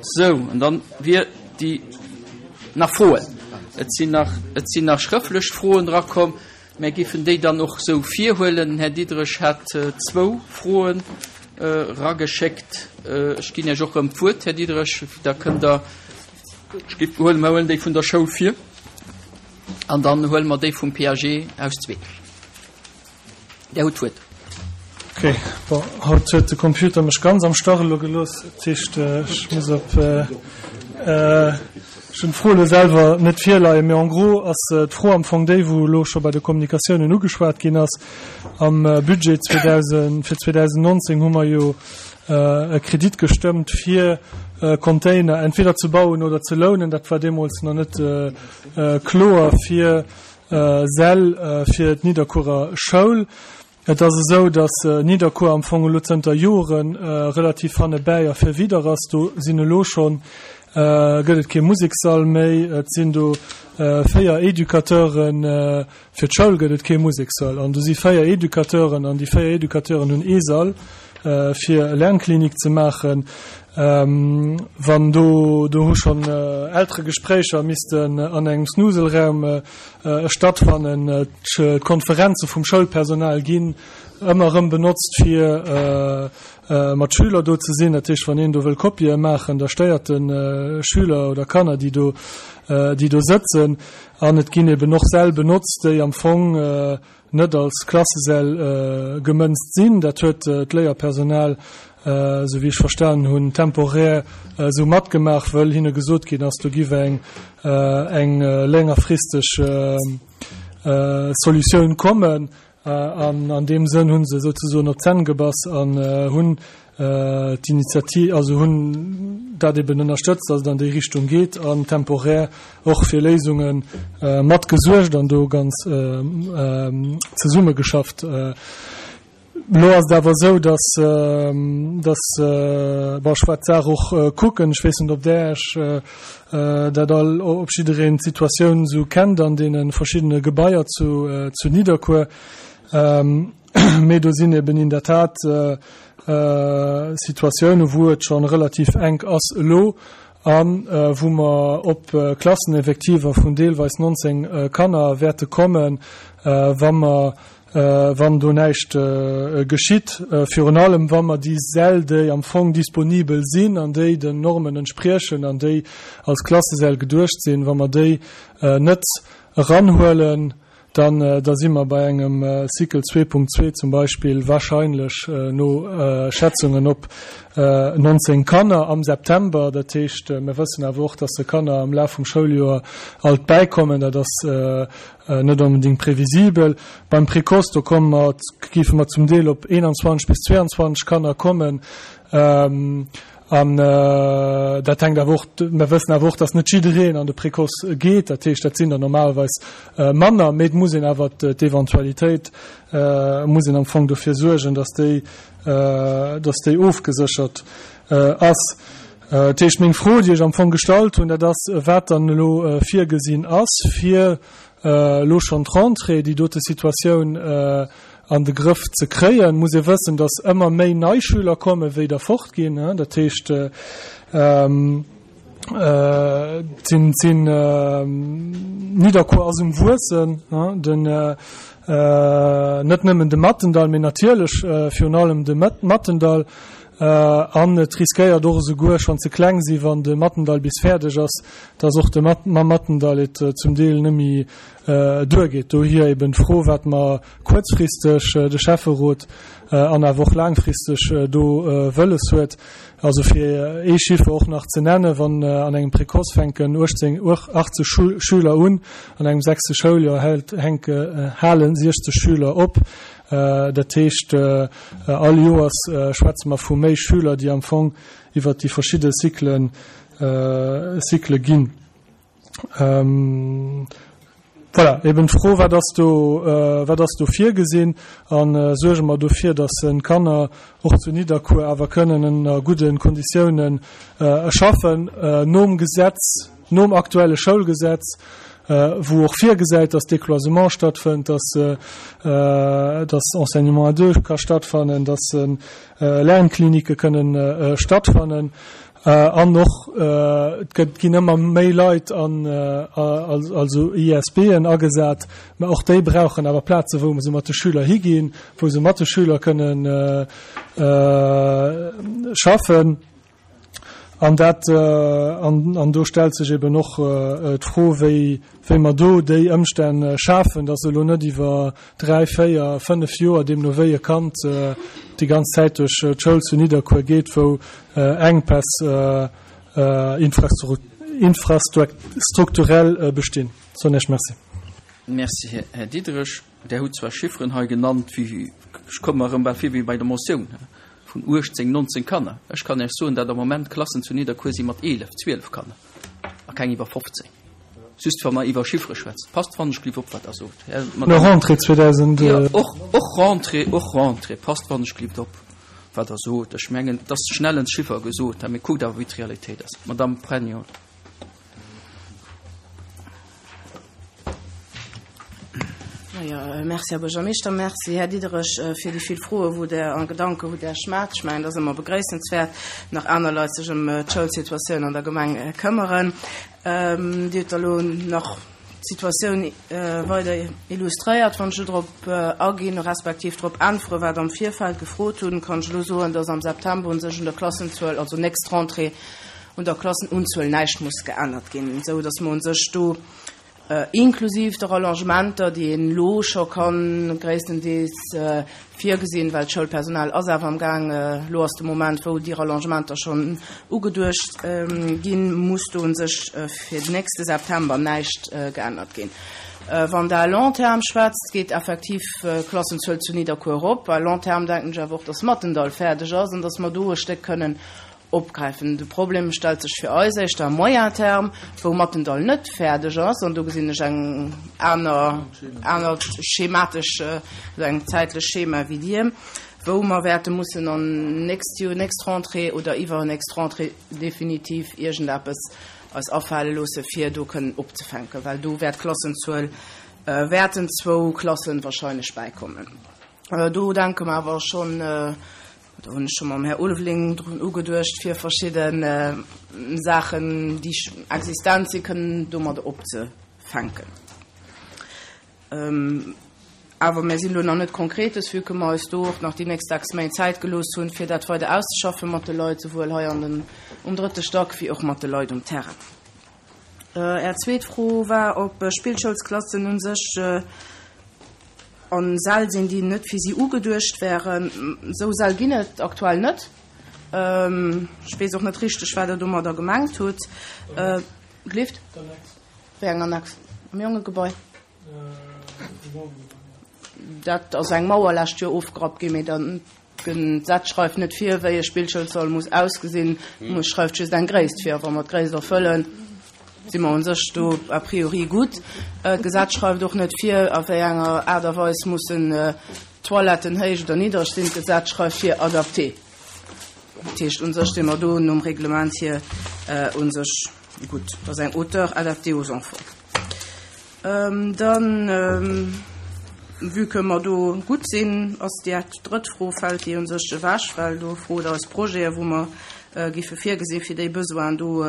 Sou, an dann wier déi nach Froen. Et sinn nach, et sinn nach schrëftlech Froen erakomm. Mär géifen déi dann och sou virhuelen. Den Här Diderich hat zwou Froen erageschéckt. Ech ginn Iech och erëm d'Wuert, Här Diderich, da kënnt Der, ech géif huelen, mer huelen déi vun der Schoul vir an dann huele mer déi vum PAG aus zwee. Där hutt d'Wuert. Ok, bon, haut huet de Computer mech ganz am Stach elo gelooss. Dat heescht, ech muss op, ech hunn d'Fro elo selwer net virleien, mee en gros ass d'Fro am Fong déi, wou elo scho bei de Kommunikatiounen ugeschwat ginn ass. Am Budget 2000, fir 2019 hu mer jo e Kredit gestëmmt, fir Container entweder ze bauen oder ze lounen. Dat war deemools nach net kloer, fir Säll fir d'Nidderkuerer Schoul. Et ass esou, datt Nidderkuer am Fong elo zënter Jore relativ hannebäi a virwider ass. Do sinn elo schonn, gëtt et kee Musekssall méi. Et sinn do 4 Educateuren, fir d'Schoul gëtt et kee Musekssall. An do si 4 Educateuren an déi 4 Educateuren hunn ee Sall fir e Lernklinik ze maachen. Wann do, do hu schonn Elteregespréicher missten an engem Snuselraum stattfannen. D'Konferenze vum Schoulpersonal ginn ëmmer erëm benotzt, fir mat Schüler do ze sinn. Dat heescht, wann een do wëll Kopië maachen, da stéiert e Schüler oder Kanner, déi do, déi do sëtzen. An et ginn eben och Säll benotzt, déi am Fong net als Klassesäll gemënzt sinn. Dat huet d'Léierpersonal, esou wéi ech verstanen hunn, temporär esou matgemaach, wëll hinne gesot ginn ass, do giff eng eng längerfristeg Solutioun kommen. An an deem Sënn hu se souzesoen op d'Zänn gebass an hunn d'Initiativ, also hunn dat eben ënnerstëtzt, dass et an déi Richtung geet an temporär och fir Léisunge mat gesuergt an do ganz zesummegeschafft. Elo ass et awer esou, dass, dass, bon, ech waart d'Saach och kucken, ech weess net, ob Der Iech dat all, ob jiddereen d'Situatioun esou kennt an deene verschiddene Gebaier zu, zu Nidderkuer. Mee do sinn eben in der Tat Situatiounen, wou et scho relativ enk ass elo a wou mer op Klasseneffektiver vun deelweis 19 Kanner wäerte kommen, wa mer, wann do näischt geschitt. Virun allem, wa mer déi Säll, déi am Fong disponibel sinn an déi den Normen entspriechen an déi als Klassesäll geduecht sinn, wa mer déi net eranhuelen, Dann da si mer bei engem Cycle 2.2 zum Beispill wahrscheinlech no Schätzungen op 19 Kanner am September. Dat heescht, mir wëssen awer och, dass de Kanner am Laf vum Schouljoer alt bäikommen. Dat ass net onbedéngt previsibel. Beim Précoce, do komme mer, géife mer zum Deel op 21 bis 22 Kanner kommen. An dat hänkt awer och, mer wëssen awer och, dass net jiddereen an de Précoce geet. Dat heescht, dat sinn der normalerweis manner, mee et muss een awer d'Eventualitéit, muss een am Fong dofir suergen, dass déi, dass déi ofgeséchert ass. Dat heescht, meng Fro, déi ech am Fong gestallt hunn, dat ass, wat dann elo virgesinn ass, fir elo schonn d'Rentrée, déi dote Situatioun an de Grëff ze kréien, muss ee wëssen, datt ëmmer méi nei Schüler kommen, wéi der fortginn. Dat heescht, et sinn, Nidderkuer ass um Wuessen, den, net nëmmen de Mattendall, mee natierlech virun allem de Mattendall. An et riskéiert och esouguer schonn ze kleng sinn, wann de Mattendall bis fäerdeg ass, datt och de mam Mattendall et zum Deel net méi duergeet. Dohier eben d'Fro, wat mer kuerzfristeg, de Schäfferot, an awer och laangfristeg do wëlles huet. Also fir ee Chiffer och nach ze nennen, Wann an engem Précoce fänken 18, 80 Schüler un, an engem sechste Schouljoer hänke, halen 60 Schüler op. Dat heescht, all Joers schwätze mer vu méi Schüler, déi am Fong iwwert déi verschidde Cyclen, Cyclë ginn. Voilà, eben d'Fro, wat ass do, wat ass do virgesinn? A suerge mer dofir, datt d'Kanner och zu Nidderkuer awer kënnen ënner gudde Konditiounen schaffen, nom Gesetz, nom aktuelle Schoulgesetz, wou och virgesäit, datt Décloisement stattfënnt, datt, datt Enseignement à deux ka stattfannen, datt Lernklinike kënnen stattfannen. An och et gëtt, ginn ëmmer méi Leit an, also ISBen agesat, mä och déi brauchen awer Plaze wou se mat de Schüler higinn, wou se mat de Schüler kënnen schaffen. An dat, an do stellt sech eben och d'Fro, wéi, wéi mer do déi Ëmstänn schafen, dass elo net iwwer 3, 4, 5 Joer, deemno wéi e Kand déi ganz Zäit duerch d'Schoul zu Nidderkuer geet, wou Enkpäss infrastrukturell bestinn. Soen Iech Merci. Merci, Här Diderich. Der hutt zwar Chifferen hei genannt wéi, ech komme mer erëm bal vir wéi bei der Motioun, vun 18, 19 Kanner. Ech kann Iech soen, datt am Moment Klassen zu Nidderkuer si mat 11, 12 Kanner a keng iwwer 15. Just wa mer iwwer Chiffere schwätzen. Passt wannechgelift op, wat Der sot, Här, Madame. No Rentrée 2000. Jo, och, och Rentrée, och Rentrée. Passt wannechgelift op, wat Der sot. Ech mengen, et ass schnell en Chiffer gesot, mee kuckt awer, wéi d'Realitéit ass. Madame Pregno. Jo, merci, Här Buergermeeschter. Merci, Här Diderich, fir déi vill Froen, wou Der a Gedanken, wou Der schmat. Ech mengen, et ass ëmmer begréissenswäert, nach aner Leit sech ëm d'Schoulsituatioun an der Gemeng këmmeren. Dir hutt elo nach d'Situatioun weider illustréiert. Wann ech elo drop aginn, respektiv drop äntweren, wat am Virfeld gefrot hunn, kann ech elo soen, dass am September u sech un der Klassenzuel, also nächst Rentrée, un der Klassenunzuel näischt muss geännert ginn, esou dass mer u sech do inklusiv de Rallongementer, déi een elo scho ka gréisstendeels virgesinn, well d'Schoulpersonal ass awer am Gaang, elo ass de Moment, wou déi Rallongementer schonn ugeduecht ginn, muss do u sech fir den nächste September näischt geännert ginn. Wann Der à long terme schwätzt, geet effektiv d'Klassenzuel zu Nidderkuer erop. À long terme denken ech awer och, dass Mathendahl fäerdeg ass an dass mer do e Stéck kënnen Opgräifen. De Problem stellt sech fir eis éischter à moyen terme, wou Mathendahl net fäerdeg ass, an do gesinn ech eng aner, anert schematesch, also eng zäitlech Schema wéi Dir, wou mer wäerte mussen an nächst Joer, nächst Rentrée oder iwwernächst Rentrée definitiv iergendeppes eis afale loosse fir do kënnen opzefänken, well do wäert d'Klassenzuel, wäerten zwou Klassen wahrscheinlech bäikommen. Do denke mer awer schonn, Do hunn ech scho mam Här Ulveling drun ugeduecht, fir verschidde Saachen, déi existent sinn, kënnen domadder opzefänken. Awer mir sinn elo nach net Konkretes, vue que mer eis do och nach déi nächst 6 Méint Zäit gelooss hunn, fir dat weider auszeschaffen mat de Leit, souwuel hei an den, um drëtte Stack wéi och mat de Leit um Terrain. Är zweet Fro war, ob Spillschoulsklassen u sech A Säll sinn, déi net fir si ugeduecht wären. Esou Säll ginn et aktuell net. Ech weess och net richteg, wat Der domadder gemengt hutt. Gelift? Wéi eng Annex? Am Jongegebai? Dat ass eng Mauer lescht Joer ofgerappt ginn, mee dann D'Gesetz schreift net vir, wéi e Spillschoulsall muss ausgesinn, et schreift just eng Gréisst vir. A wa mer d'Gréisst erfëllen, si mer u sech do a priori gutt. D'Gesetz schreift och net vir, a wéi enger Aart a Weis mussen d'Toiletten héich oder niddereg sinn. D'Gesetz schreift vir, adapté. Dat heescht, u sech si mer do nom Reglement hier u sech gutt. Dat ass eng Hauteur adaptée aux enfants. Dann, vue que mer do gutt sinn, ass déi drëtt Fro, fält déi u sech ewech, well do frot eis Projete wou mer géife virgesinn, fir déi Besoinen do,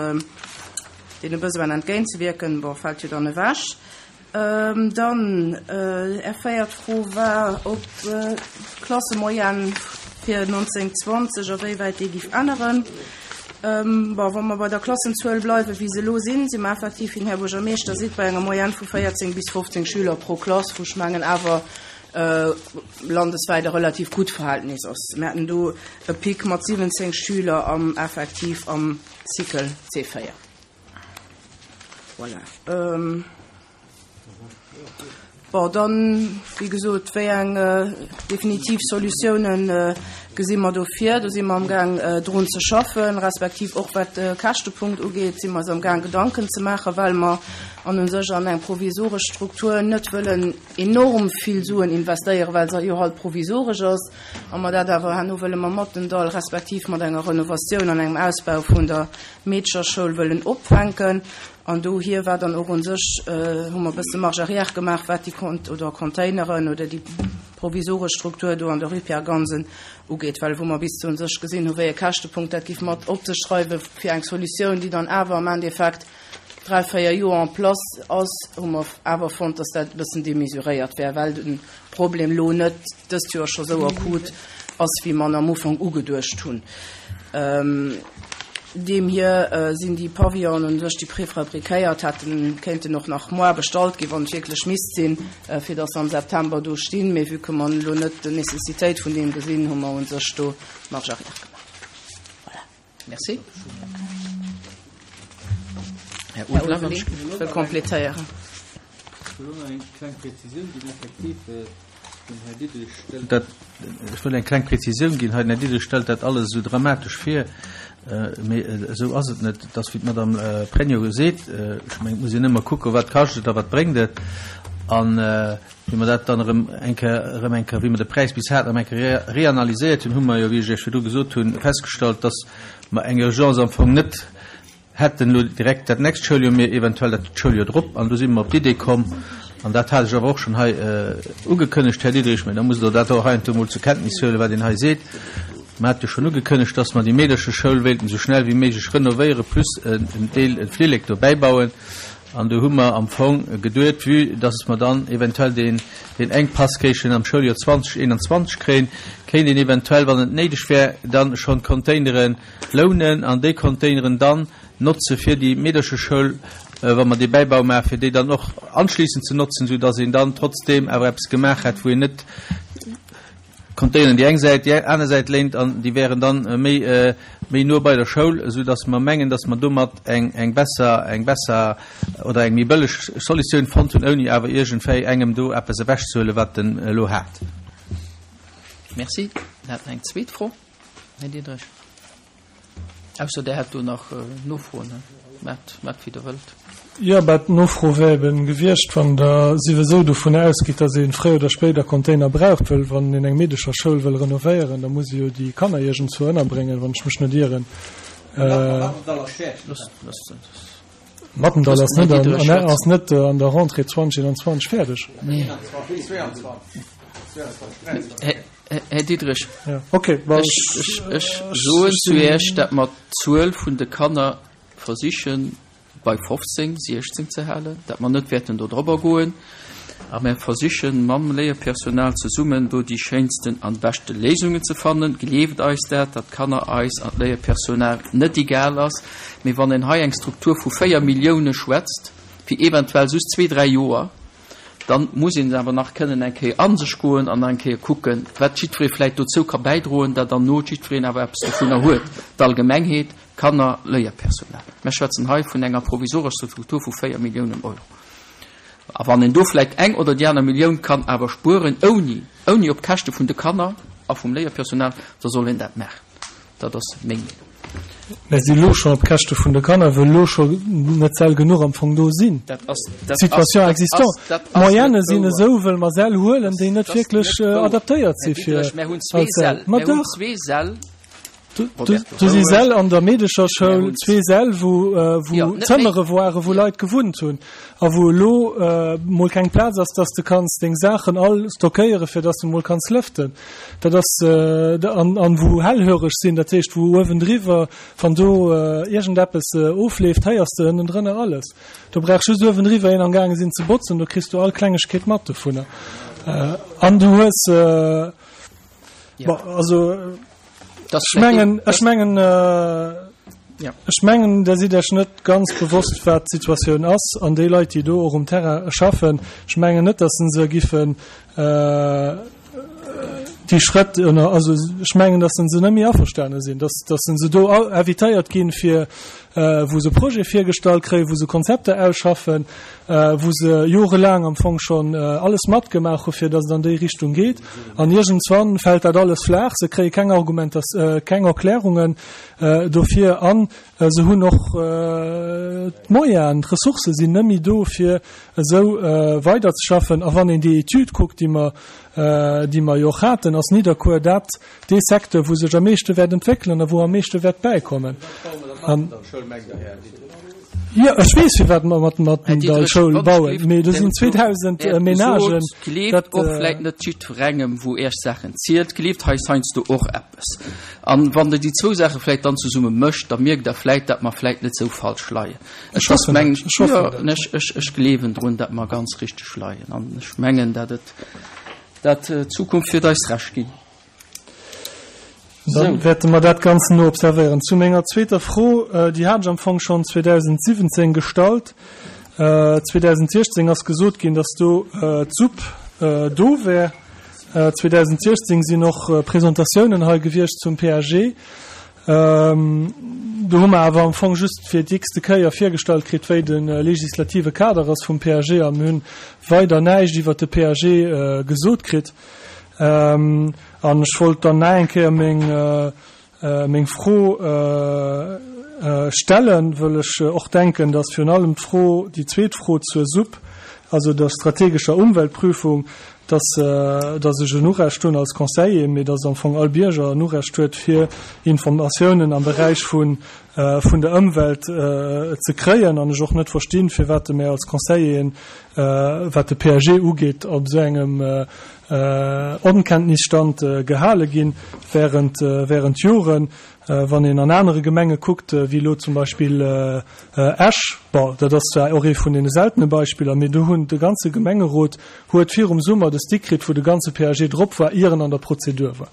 deene Besoinen entgéintzewierken, bon, fält jo dann ewech. Dann, Är véiert Fro war, ob d'Klassemoyenne fir 1920, awéiwäit déi géif änneren. Bon, wa mer bei der Klassenzuel bleiwen, wéi se elo sinn, si mer effektiv, wéi den Här Buergermeeschter seet, bei enger Moyenne vu 14 bis 15 Schüler pro Klass, wou ech mengen awer landeswäit e relativ gutt Verhältnis ass. Mir haten do e Pic mat 17 Schüler am effektiv am Cycle C4. Voilà. Bon, dann, wéi gesot, wéi eng definitiv Solutiounen gesi mer do vir? Do si mer amgaang drun ze schaffen, respektiv och wat de Käschtepunkt ugeet, si mer eis amgaang Gedanken ze maachen, well mer an u sech an eng provisoresch Struktur net wëllen enorm vill Suen investéieren, well se jo halt provisoresch ass a mer dat awer herno wëlle mam Mattendall respektiv mat enger Renovatioun an engem Ausbau vun der Meedcherschoul wëllen opfänken. An dohier war dann och un sech, hu mer e bësse Marge arrière gemaach, wat déi Kont oder Containeren oder déi. provisoresch Struktur do an der Rue Pierre Gansen ugeet, well wou mer bis zu un sech gesinn hu wéi e Käschtepunkt dat giff mat op sech dreiwe fir eng Solutioun, déi dann awer am Endeffekt 3, 4 Joer en place ass, hu mer awer fonnt, dass dat e bëssen démesuréiert wär, well de Problem lo net dëst Joer scho sou akut ass, wéi mer en am Ufank ugeduecht hunn. Deemhier sinn déi Pavillonen un sech, déi préfabriquéiert hätten kéinten och nach moar bestallt ginn, wann et wierklech misst sinn, fir dass se am September do stinn. Mee vue que mer elo net d'Nécessitéit vun deem gesinn, hu mer un sech do Marche arrière gemaach. Voilà. Merci. Här Ulveling wëll complétéieren. Ech wëll och nach eng kleng Präzisioun ginn. Effektiv, den Här Diderich stellt dat, ech wëll eng kleng Präzisioun ginn hei, den Här Diderich stellt dat alles esou dramatesch vir, mee esou ass et net. Et ass, wéi d'Madame Pregno seet, ech mengen, et muss een ëmmer kucken, wat kascht et a wat bréngt et. An wéi mer dat dann erëm eng Kéier, erëm eng Kéier, wéi mer de Präis bis haten, erëm eng Kéier reanalyséiert hunn, hu mer jo, wéi ech Iech virdru gesot hunn, festgestallt, dass mer eng Urgence am Fong net hätten elo direkt dat nächst Schouljoer, mee eventuell dat Schouljoer drop. An do si mer op d'Idee komm, an dat hat ech awer och schonn hei ugekënnegt, Här Diderich, mä da musst Der dat och heiansdo emol zur Kenntnis huelen, wat een hei seet, Mer hate jo schonn ugekënnegt, dass mer déi Meedercheschoul wéilten esou schnell wéi méiglech renovéieren, plus en Deel, e Flillek dobäi bauen. An do hu mer am Fong geduet, vue dass mer dann eventuell deen, deen Enkpass kéichen am Schouljoer 2021 kréien, kéint een eventuell, wann et néideg wär, dann schonn d'Containere lounen an déi Containeren dann notze fir déi Meedercheschoul, wa mer dee Bäibau maachen, fir déi dann och anschliissend ze notzen, soudass een dann trotzdeem awer eppes gemaach hätt, wou een net Containeren déi eng Säit, déi aner Säit léint an déi wären dann méi, méi no bei der Schoul, soudass mer mengen, dass mer domat eng, eng besser, eng besser oder eng méi bëlleg Solutioun fonnt hunn, ouni awer iergendwéi engem do eppes ewechzehuelen, wat en elo hat. Merci. Mir haten eng zweet Fro, Här Diderich. Ausser Der hätt do nach Nofroen. Maacht, maacht wéi Der wëllt. Jo, bah, d'Nofro wär eben gewiescht, wann Der siwesou dovun ausgitt, dass ee fréier oder spéider Container braucht, wëll wann een eng Meedecherschoul wëll renovéieren, da muss ee jo déi Kanner iergendzwou ënnerbréngen, wann ech mech net ieren. Mathendahl ass net an, ass net an der Rentrée 2021 fäerdeg. Nee. Här Diderich, ech soen zu Iech, datt mer d'Zuel vun de Kanner versiche bei 15, 16 ze halen, datt mer net wäerten do drobber goen. A mer versiche mam Léierpersonal zesummen do déi schéinsten an beschte Léisungen ze fannen. Gleeft eis dat, datt d'Kanner eis an d'Léierpersonal net egal ass. Mee wann een hei eng Struktur vu 4 Millioune schwätzt, fir eventuell just zwee, dräi Joer, Dann muss een awer nach kënnen eng Kéier a sech goen an nach eng Kéier kucken, wat jiddweree vläicht dozou ka bäidroen, datt dann no jiddwereen awer eppes dovunner huet, d'Allgemengheet, d'Kanner, Léierpersonal. Mer schwätzen hei vun enger provisorescher Struktur vu 4 Milliounen Euro. A wann een do vläicht eng oder déi aner Millioun kann awer spueren, ouni, ouni op Käschte vun de Kanner a vum Léierpersonal, da soll een dat maachen. Dat ass meng Meenung. Mä si elo schonn op Käschte vun de Kanner, wëll elo scho net Säll genuch am Fong do sinn. Dat ass, dat ass, Situation existante. dat ass net D'Moyene sinn wouer. esou, wëll mer Säll huelen, déi net Dat ass wierklech net wouer. adaptéiert Här si fir Diderich, mär hunn zwee als Säll. Säll. Ma Mär hunn dach! zwee Säll. Do, Roberto, do si roueg. Säll an der Meedecherschoul, Mär hunn zwee Säll, wou, wou Jo, net méi. Zëmmere waren, wou Leit gewunnt hunn a wou elo mol keng Plaz ass, dass de kanns deng Saachen all stockéieren, fir dass de mol kanns lëften. Dat ass, an, an wou hellhöreg sinn, dat heescht, wou uewendriwwer, wann do iergendeppes ofleeft, héiers de ënnendrënner alles. Do brauch just uewendriwwer een am gaange sinn ze botzen, do kriss du all Klengegkeet mat dovunner. An du hues, bon, also ech mengen, ech mengen, ech mengen, Der sidd Iech net ganz bewosst, wat d'Situatioun ass. An déi Leit, déi do och um Terrain schaffen, ech mengen net, datt se giffen, déi Schrëtt ënner, also ech mengen, datt se net méi averstane sinn, datt, datt se do invitéiert ginn, fir wou se Projet virgestallt kréien, wou se Konzepter ausschaffen, wou se jorelaang am Fong schonn alles matgemaach hu fir datt et an déi Richtung geet. An iergendswann fält dat alles flaach, se kréie keng Argumentas-, keng Erklärungen dofir an se hunn och d'Moyenen, d'Ressourcë sinn net méi do fir esou weiderzeschaffen. A wann een déi Etüd kuckt, déi mer, déi mer jo och haten. ass Nidderkuer dat, dee Secteur, wou sech am meeschte wäert entwéckelen a wou am meeschte wäert bäikommen. An, jo, ech weess, firwat mer mat der Mathendahl-Schoul bauen, mee do sinn 2.000 Menagen. Gleeft och vläit net jiddwerengem, wou Iech Saachen zielt. Gleeft hei heiansdo och eppes. An wann Der déi zwou Saache vläit dann zesumme mëscht, da mierkt Der vläit, datt mer vläit net esou falsch leien. Ech hoffen dat. Ech hoffen dat. Jo, ech gleewen drun, datt mer ganz richteg leien. An ech mengen, datt et, datt d'Zukunft wird eis Recht ginn. Dann wäerte mer dat Ganzen no observéieren. Zu menger zweeter Fro, déi hat ech am Fong schonn 2017 gestallt. 2016 ass gesot ginn, datt do d'SUP do wär. 2016 sinn och Presentatiounen hei gewiescht zum PAG. Do hu mer awer am Fong just fir déi x-te Kéier virgestallt kritt, wéi de legislative Kader ass vum PAG a mir hunn weider näischt iwwert de PAG gesot kritt. An ech wollt dann nach eng Kéier meng, meng Fro stellen, wëll ech och denken, dass virun allem d'Fro, déi zweet Fro zur SUP, also der strategescher Umweltprüfung, dass, dass ech en Urecht hunn als Conseiller, mee dass am Fong all Bierger en Urecht huet, fir Informatiounen am Beräich vun, vun der Ëmwelt ze kréien, an ech och net verstinn, firwat mär als Conseilleren, wat de PAG ugeet, op esou engem Onkenntnisstand gehale ginn während, während Joren. Wann een an anere Gemenge kuckt, wéi elo zum Beispill Esch, bon, dat ass zwar och ee vun deene seltene Beispiller, mee do hunn de ganze Gemengerot huet virum Summer de Stick kritt, wou de ganze PAG drop war, ier en an der Prozedur war,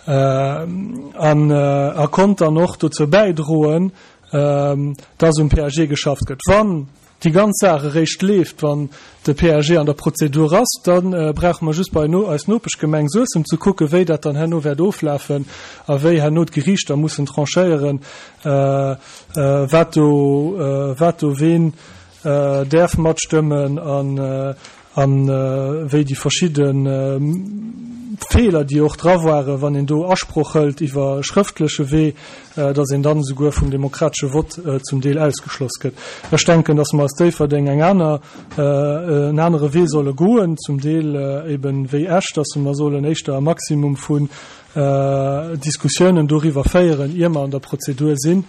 an a konnt dann och dozou bäidroen, dass um PAG geschafft gëtt. Wann déi ganz Saach eréischt leeft, wann de PAG an der Prozedur ass, da brauche mer just bei eis Nopeschgemeng Suessem ze kucken, wéi dat dann herno wäert oflafen a wéi herno d'Geriichter mussen tranchéieren, wat do, wat do ween däerf matstëmmen an A wéi déi verschidde Feeler, déi och dra waren, wann een do Asproch hëlt iwwer schrëftleche Wee, datt een dann esouguer vum demokratesche Vott zum Deel ausgeschloss gëtt. Ech denken, datt mer als Déifferdeng eng aner, en anere Wee solle goen, zum Deel eben wéi Esch, datt mer sollen éischter e Maximum vu Diskussiounen doriwwer féieren, ier mer an der Prozedur sinn.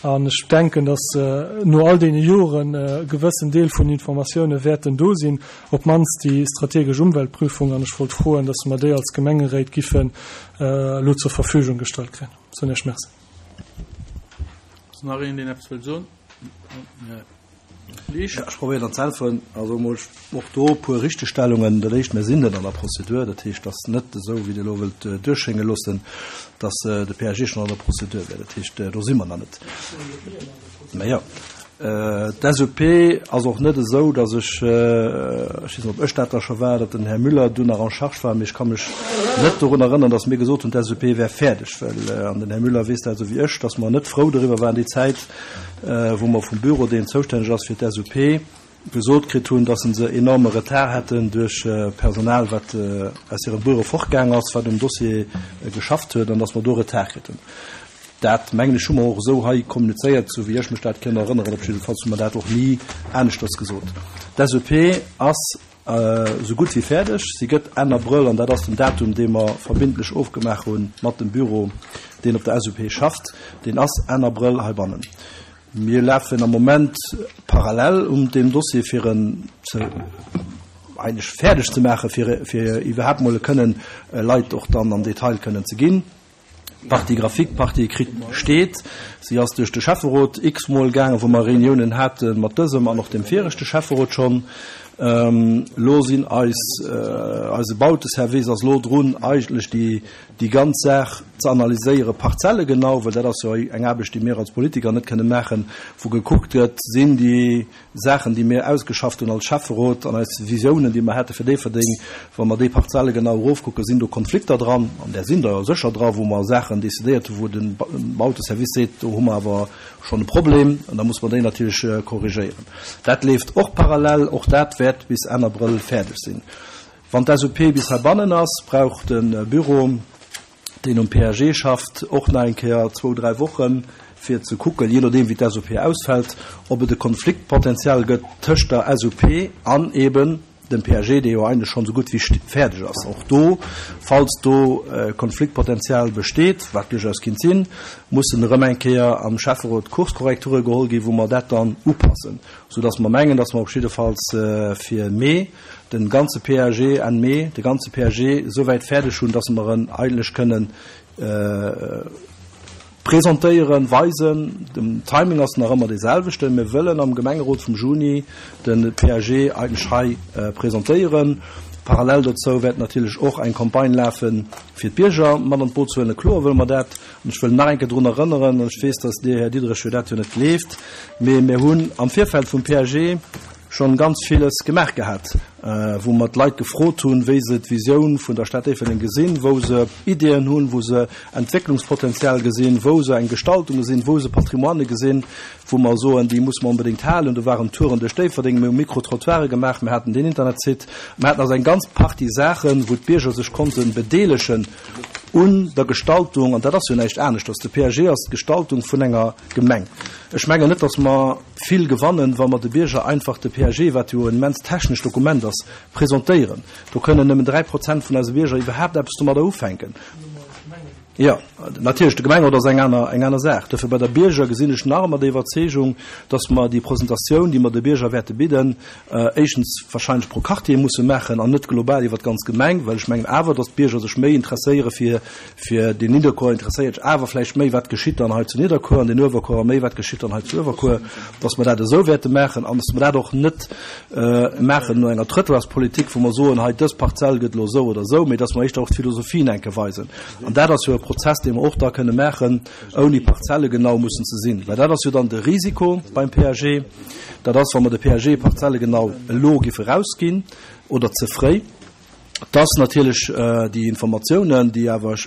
An ech denken, datt no all deene Joren e gewëssen Deel vun Informatioune wäerten do sinn, op d'mannst déi strategesch Umweltprüfung. An ech wollt froen, datt mer déi als Gemengeréit giffen elo zur Verfügung gestallt kréien. Soen Iech Merci. Ass nach een, deen eppes wëllt soen? Ja, ech probéieren dann ze äntweren. Also emol och do e puer Richtegstellungen. Dat Éischt, mir sinn net an der Prozedur. Dat heescht, et ass net esou, wéi Dir elo wëllt duerchschénge loossen, datt de PAG schonn an der Prozedur wär. Dat heescht, do si mer nach net. Mä jo, d'SUP ass och net esou, datt ech, ech weess net, ob ech dat da scho war, datt den Här Müller dunn nach en charge war, mee ech ka mech net dorun erënnern, datt mir gesot hunn, d'SUP wär fäerdeg, well, an den Här Müller weess dat esou wéi ech, datt mer net frou doriwwer waren déi Zäit, wou mer vum Büro, deen zoustänneg ass fir d'SUP, gesot kritt hunn, dass se enorme Retard hätten duerch Personal, wat aus hirem Büro fortgaang ass, wat um Dossier geschafft huet, an dass mer do Retard kritt hunn. Dat, mengen ech, hu mer och esou hei kommunizéiert, esou wéi ech mech dat kënn erënneren. Op jiddefalls hu mer dat och ni aneschters gesot. D'SUP ass esou gutt wéi fäerdeg. Si gëtt Enn Abrëll, an dat ass den Datum, dee mer verbindlech ofgemaach hu mat dem Büro, deen op der SUP schafft, deen ass Enn Abrëll heibannen. Mir lafen am Moment parallel un deem Dossier, fir en ze eigentlech fäerdeg ze maachen, fir, fir iwwerhaapt mol e kënnen Leit och dann am Detail kënnen ze ginn. D'Partie graphique, d'Partie écrite steet. Si ass duerch de Schäfferot x-mol gaangen, wou mer Reuniounen hate mat dësem an och deem viregte Schäfferot schonn. Elo sinn eis, eise Bauteservice ass elo drun, eigentlech déi, déi ganz Saach ze analyséieren, parzellegenau, well dat ass jo eng Aarbecht, déi mir als Politiker net kënne maachen, wou gekuckt gëtt, sinn déi Saachen, déi mir ausgeschafft hunn als Schäfferot an eis Visiounen, déi mer hate fir Déifferdeng, wa mer déi Parzelle genau erofkucken, sinn do Konflikter dran, an där sinn der jo sécher dra, wou mer Saachen decidéiert hunn, wou de Bauteservice seet, do hu mer awer schonn e Problem, an da muss mer déi natierlech korrigéieren. Dat leeft och parallel, och dat wäert bis Enn Abrëll fäerdeg sinn. Wann d'SUP bis heibannen ass, brauch de Büro, deen um PAG schafft, och nach eng Kéier zwou, dräi Wochen, fir ze kucken, jee nodeem wéi d'SUP ausfält, ob et e Konfliktpotential gëtt tëscht der SUP an eben. dem PAG, dee jo eigentlech schonn esou gutt wéi fäerdeg ass. Och do, falls do Konfliktpotenzial besteet, wat duerchaus kinnt sinn, mussen erëm eng Kéier am Schäfferot Kurskorrekture geholl ginn, wou mer dat dann upassen, soudass mer mengen, dass mer op jiddefalls fir Mee de ganze PAG, Enn Mee, de ganze PAG esouwäit fäerdeg hunn, dass mer en eigentlech kënnen Presentéieren, weisen. Den Timing ass nach ëmmer dee selwechten. Mir wëllen am Gemengerot vum Juni de PAG eigentlech hei presentéieren. Parallel dozou wäert natierlech och eng Campagne lafen, fir d'Bierger mat an d'Boot ze huelen. Kloer wëlle mer dat. An ech wëll nach eng Kéier drun erënneren, an ech weess, dass Dir, Här Diderich, jo dat jo net gleeft, mee mir hunn am Virfeld vum PAG schonn ganz villes gemaach gehat, wou mer d'Leit gefrot hunn, wéi se d'Visioun vun der Stad Déifferdeng gesinn, wou se Ideeën hunn, wou se Entwécklungspotenzial gesinn, wou se eng Gestaltung gesinn, wou se Patrimoine gesinn, wou mer soen, déi musse mer onbedéngt halen. Do waren Touren duerch Déifferdeng, mir hu Micro-trottoire gemaach, mir haten deen Internetsite, mir haten also eng ganz Partie Saachen, wou d'Bierger sech konnte bedeelegen un der Gestaltung, an dat ass jo näischt aneschters, de PAG ass d'Gestaltung vun enger Gemeng. Ech mengen net, dass mer vill gewannen, wa mer de Bierger einfach de PAG, wat jo en immens technescht Dokument ass, presentéieren. Do kënnen nëmmen 3 Prozent vun eise Bierger iwwerhaapt eppes domadder ufänken. Jo, natierlech, de Gemengerot ass eng aner, eng aner Saach. Dofir bei der Bierger gesinn ech nach ëmmer déi Iwwerzeegung, dass mer déi Presentatioun, déi mer de Bierger wäerte bidden, éischtens wahrscheinlech pro Quartier musse maachen an net global iwwer d'ganz Gemeng, well ech mengen awer, dass d'Bierger sech méi interesséiere fir, fir den Nidderkuer interesséiert sech awer vläicht méi, wat geschitt dann hei zu Nidderkuer, an den Uewerkuerer méi, wat geschitt dann hei zu Uewerkuer, dass mer dat esou wäerte maachen an dass mer dat och net maachen no enger Trëttoirspolitik, wou mer soen, hei dës Parzell gëtt elo esou oder esou, mee dass mer éischter och d'Philosophien enke weisen. An dat ass jo e Prozess, dee mer och da kënne maachen, ouni parzellegenau mussen ze sinn, well dat ass jo dann de Risiko beim PAG, dat ass, wa mer de PAG parzellegenau elo géife rausginn oder ze fréi, dass natierlech déi Informatiounen, déi awer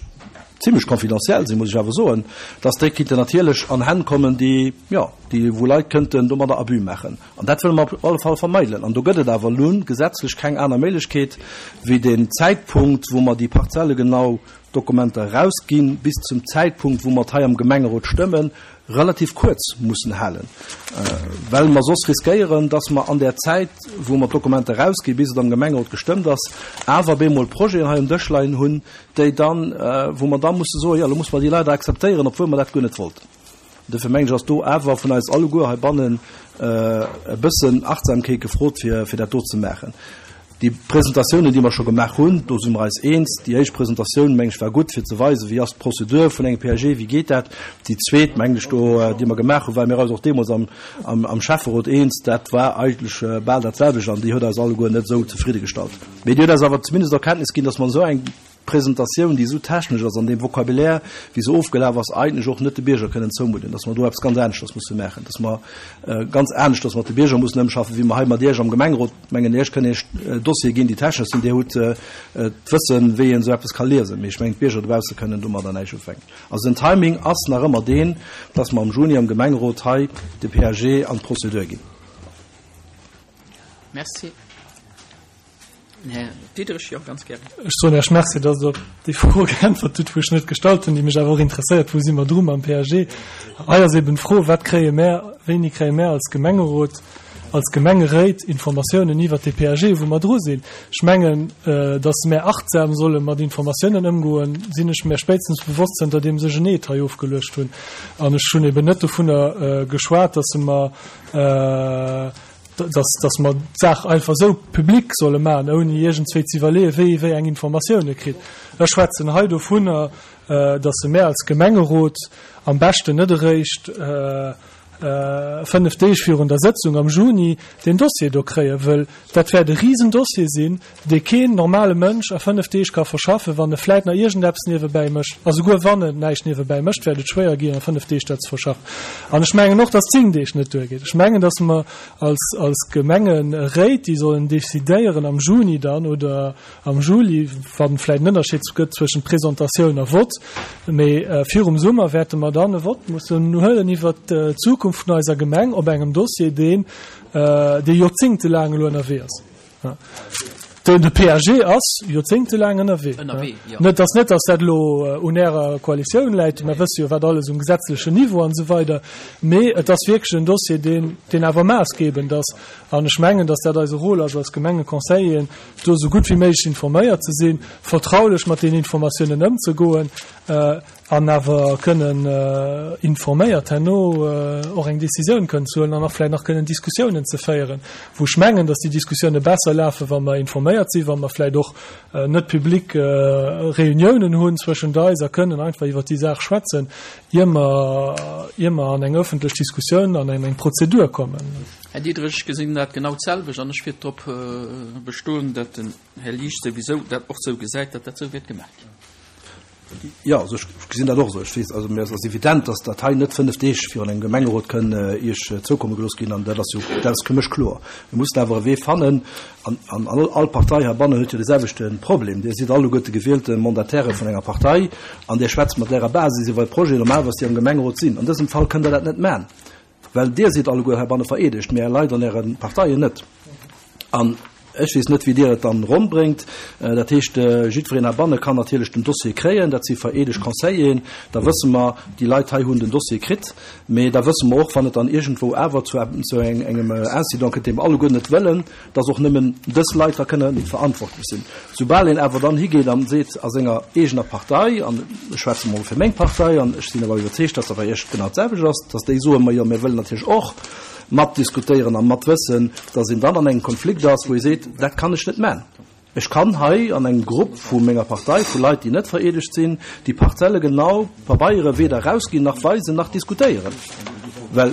zimlech confidentiel sinn, muss ech awer soen, dass déi kinnten natierlech an Hänn kommen, déi, jo, déi, wou Leit kënnten domadder Abus maachen. An dat wëlle mer op alle Fall vermeidelen. An do gëtt et awer elo gesetzlech keng aner Méiglechkeet, wéi den Zäitpunkt, wou mer déi parzellegenau Dokumenter erausginn, bis zum Zäitpunkt, wou mer et hei am Gemengerot stëmmen, relativ kuerz mussen halen, well mer soss riskéieren, dass mer an där Zäit, wou mer d'Dokumenter erausginn, bis et am Gemengerot gestëmmt ass, awer bemol Projeten hei um Dësch leien hunn, déi dann, wou mer da musse soen, jo, elo musse mer déi leider akzeptéieren, obwuel mer dat guer net wollten. Dofir mengen ech, ass do awer vun eis alleguer heibannen e bëssen Achtsamkeet gefrot, fir dat do ze maachen. Déi Presentatiounen, déi mer scho gemaach hunn, do si mer eis eens. Déi éischt Presentatioun, meng ech, war gutt, fir ze weisen, wéi ass d'Prozedur vun engem PAG, wéi geet dat. Déi zweet, mengen ech, do, déi mer gemaach hunn, ware mir eis och deemools am, am Schäfferot eens, dat war eigentlech bal dat selwecht an déi huet eis alleguer net esou zefriddegestallt. Mee déi huet eis awer zumindest Erkenntnis ginn, dass mer esou eng Presentatioun, déi esou technesch ass an deem Vocabulaire, wéi se ofgelaf ass, eigentlech och net de Bierger kënnen zoumudden, dass mer do eppes ganz aneschters musse maachen, dass mer ganz aneschters mat de Bierger mussen ëmschaffen, wéi mer hei mat Iech am Gemengerot, mengen, Iech kënnen Iech Dossiere ginn, déi technesch sinn, Dir hutt d'Wëssen, wéi een esou eppes ka liesen, mee ech mengen, d'Bierger dobausse kënnen domadder näischt ufänken. Also den Timing ass nach ëmmer deen, dass mer am Juni am Gemengerot hei de PAG an d'Prozedur ginn. Merci. Här Diderich, jo, ganz gären. Ech soen Iech Merci, dass Der op déi Fro geäntwert hutt, wou ech net gestallt hunn, déi mech awer och interesséiert, Wou si mer dru mam PAG? Hei ass eben d'Fro, Wat kréie mär, wéini kréie mär als Gemengerot, als Gemengeréit Informatiounen iwwert dee PAG, wou mer dru sinn? Ech mengen, dass mär achtsam solle mat Informatiounen ëmgoen, sinn ech mär spéitstens bewosst, zënterdeems ech en Eed hei ofgeluecht hunn. An ech hunn eben net dovunner geschwat, dass mer, dass, dass mer d'Saach einfach esou public solle maachen, ouni iergendswéi ze iwwerleeën, wie wéi eng Informatioune kritt. Ech schwätzen hei dovunner, dass se mär als Gemengerot am beschten net eréischt 5 Deeg virun der Sëtzung am Juni deen Dossier do kréien, wëll dat wäert e Risendossier sinn, dee keen normale Mënsch a 5 Deeg ka verschaffen, wann e vläit nach iergendeppes niewebäi mécht. A souguer wann en näischt niewebäi mécht, wäert et schwéier ginn, a 5 Deeg dat ze verschaffen. An ech mengen och, dass 10 Deeg net duergeet. Ech mengen, dass mer als, als Gemengeréit, déi sollen decidéieren am Juni dann oder am Juli, wa vläit en Ënnerscheed gëtt zwëschent Presentatioun a Vott, mee virum Summer wäerte mer dann e Vott mussen huelen iwwert d'Zukunft vun eiser Gemeng op engem Dossier, deen, dee joerzéngtelaang elo ënnerwee ass. De PAG ass joerzéngtelaang ënnerwee. Net, ass net, datt dat elo un Ärer Koalitioun läit, mer wësse jo, wat alles um gesetzlechen Niveau an esou weider, mee et ass wierklech en Dossier, deen, deen awer maassgebend ass. An ech mengen, datt dat eise Rôle ass als Gemengeconseilleren, do esou gutt wéi méiglech informéiert ze sinn, vertraulech mat deenen Informatiounen ëmzegoen. An awer kënnen informéiert herno och eng Décisioun kënnen ze huelen an och vläicht nach kënnen Diskussiounen ze féieren, wou ech mengen, dass déi Diskussioune besser lafen, wa mer informéiert sinn, wa mer vläicht och net public Réuniounen hunn zwëschent eis a kënnen einfach iwwert déi Saach schwätzen, ier mer, ier mer an eng öffentlech Diskussioun an eng Prozedur kommen. Här Diderich, ech gesinn dat genau d'selwecht an ech wäert drop bestoen, datt den Här Liesch souwisou dat och esou gesäit, datt dat esou wäert gemaach ginn. Jo, also ech gesinn dat och esou. Ech weess, also mir ass evident, datt dat hei net 5 Deeg virun engem Gemengerot kënn Iech zoukomme gelooss ginn an dat ass jo, dat ass fir mech kloer. Mir mussen awer e Wee fannen an, an all, all Partei heibannen huet jo de selwechte Problem. Dir sidd alleguerte gewielte Mandataire vun enger Partei an Dir schwätzt mat Ärer Basis iwwer e Projet, normalerweis déi am Gemengerot sinn. An dësem Fall kënnt Der dat net man. Well Dir sidd alleguer heibanne vereedegt, mee Är Leit an Äre Parteien net. An ech weess net, wéi Dir et dann ronn bréngt. Dat heescht, jiddwereen heibanne kann natierlech den Dossier kréien. Dat si vereedegt Conseilleren. Da wësse mer, déi Leit hei hunn den Dossier kritt. Mee da wësse mer och, wann et dann iergendwou awer zu engem Incident kënnt, dee mer alleguer net wëllen, dass och nëmmen dës Leit da kënne verantwortlech sinn. Soubal een awer dann higeet a seet a senger eegener Partei, an ech schwätze mol fir meng Partei, an ech sinn awer iwwerzeegt, dass dat bei Iech genau d'selwecht ass, dass déi soen, majo mir wëllen natierlech och matdiskutéieren a matwëssen, dass een dann an engem Konflikt ass, wou ee seet, dat kann ech net man. Ech kann hei an engem Grupp vu menger Partei, vu Leit, déi net vereedegt sinn, déi Parzelle genau, Pabeiere weder erausginn nach weisen nach diskutéieren, well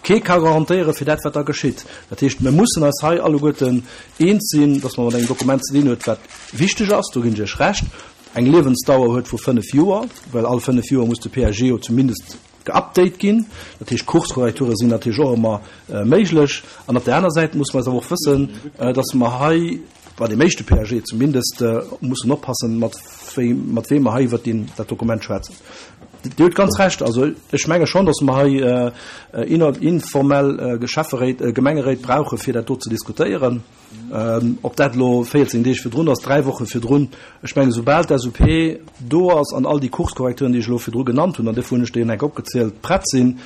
kee ka garantéiere fir dat, wat da geschitt. Dat heescht, mir mussen eis hei alleguerten eens sinn, dass mer mat engem Dokument ze dinn huet, wat wichteg ass, do ginn ech Iech Recht, eng Liewensdauer huet vu fënnf Joer, well all fënnf Joer muss de PAG jo zumindest geupdate ginn. Dat heescht, Kurskorrekture sinn natierlech och ëmmer méiglech. An op där aner Säit musse mer eis awer och wëssen, dass mer hei bei deem éischte PAG zumindest mussen oppassen, mat wéi, mat weem mer hei iwwert deen, dat Dokument schwätzen. Dir hutt ganz Recht. Also ech menge schonn, dass mer hei informell Geschäfferéit, Gemengeréit brauche fir dat do ze diskutéieren. Ob dat elo 14 Deeg virdrun ass, dräi Woche virdrun, ech mengen, soubal d'SUP do ass an all déi Kurskorrekturen, déi ech elo virdru genannt hunn, an duerfir hunn ech déi enk opgezielt, prett sinn,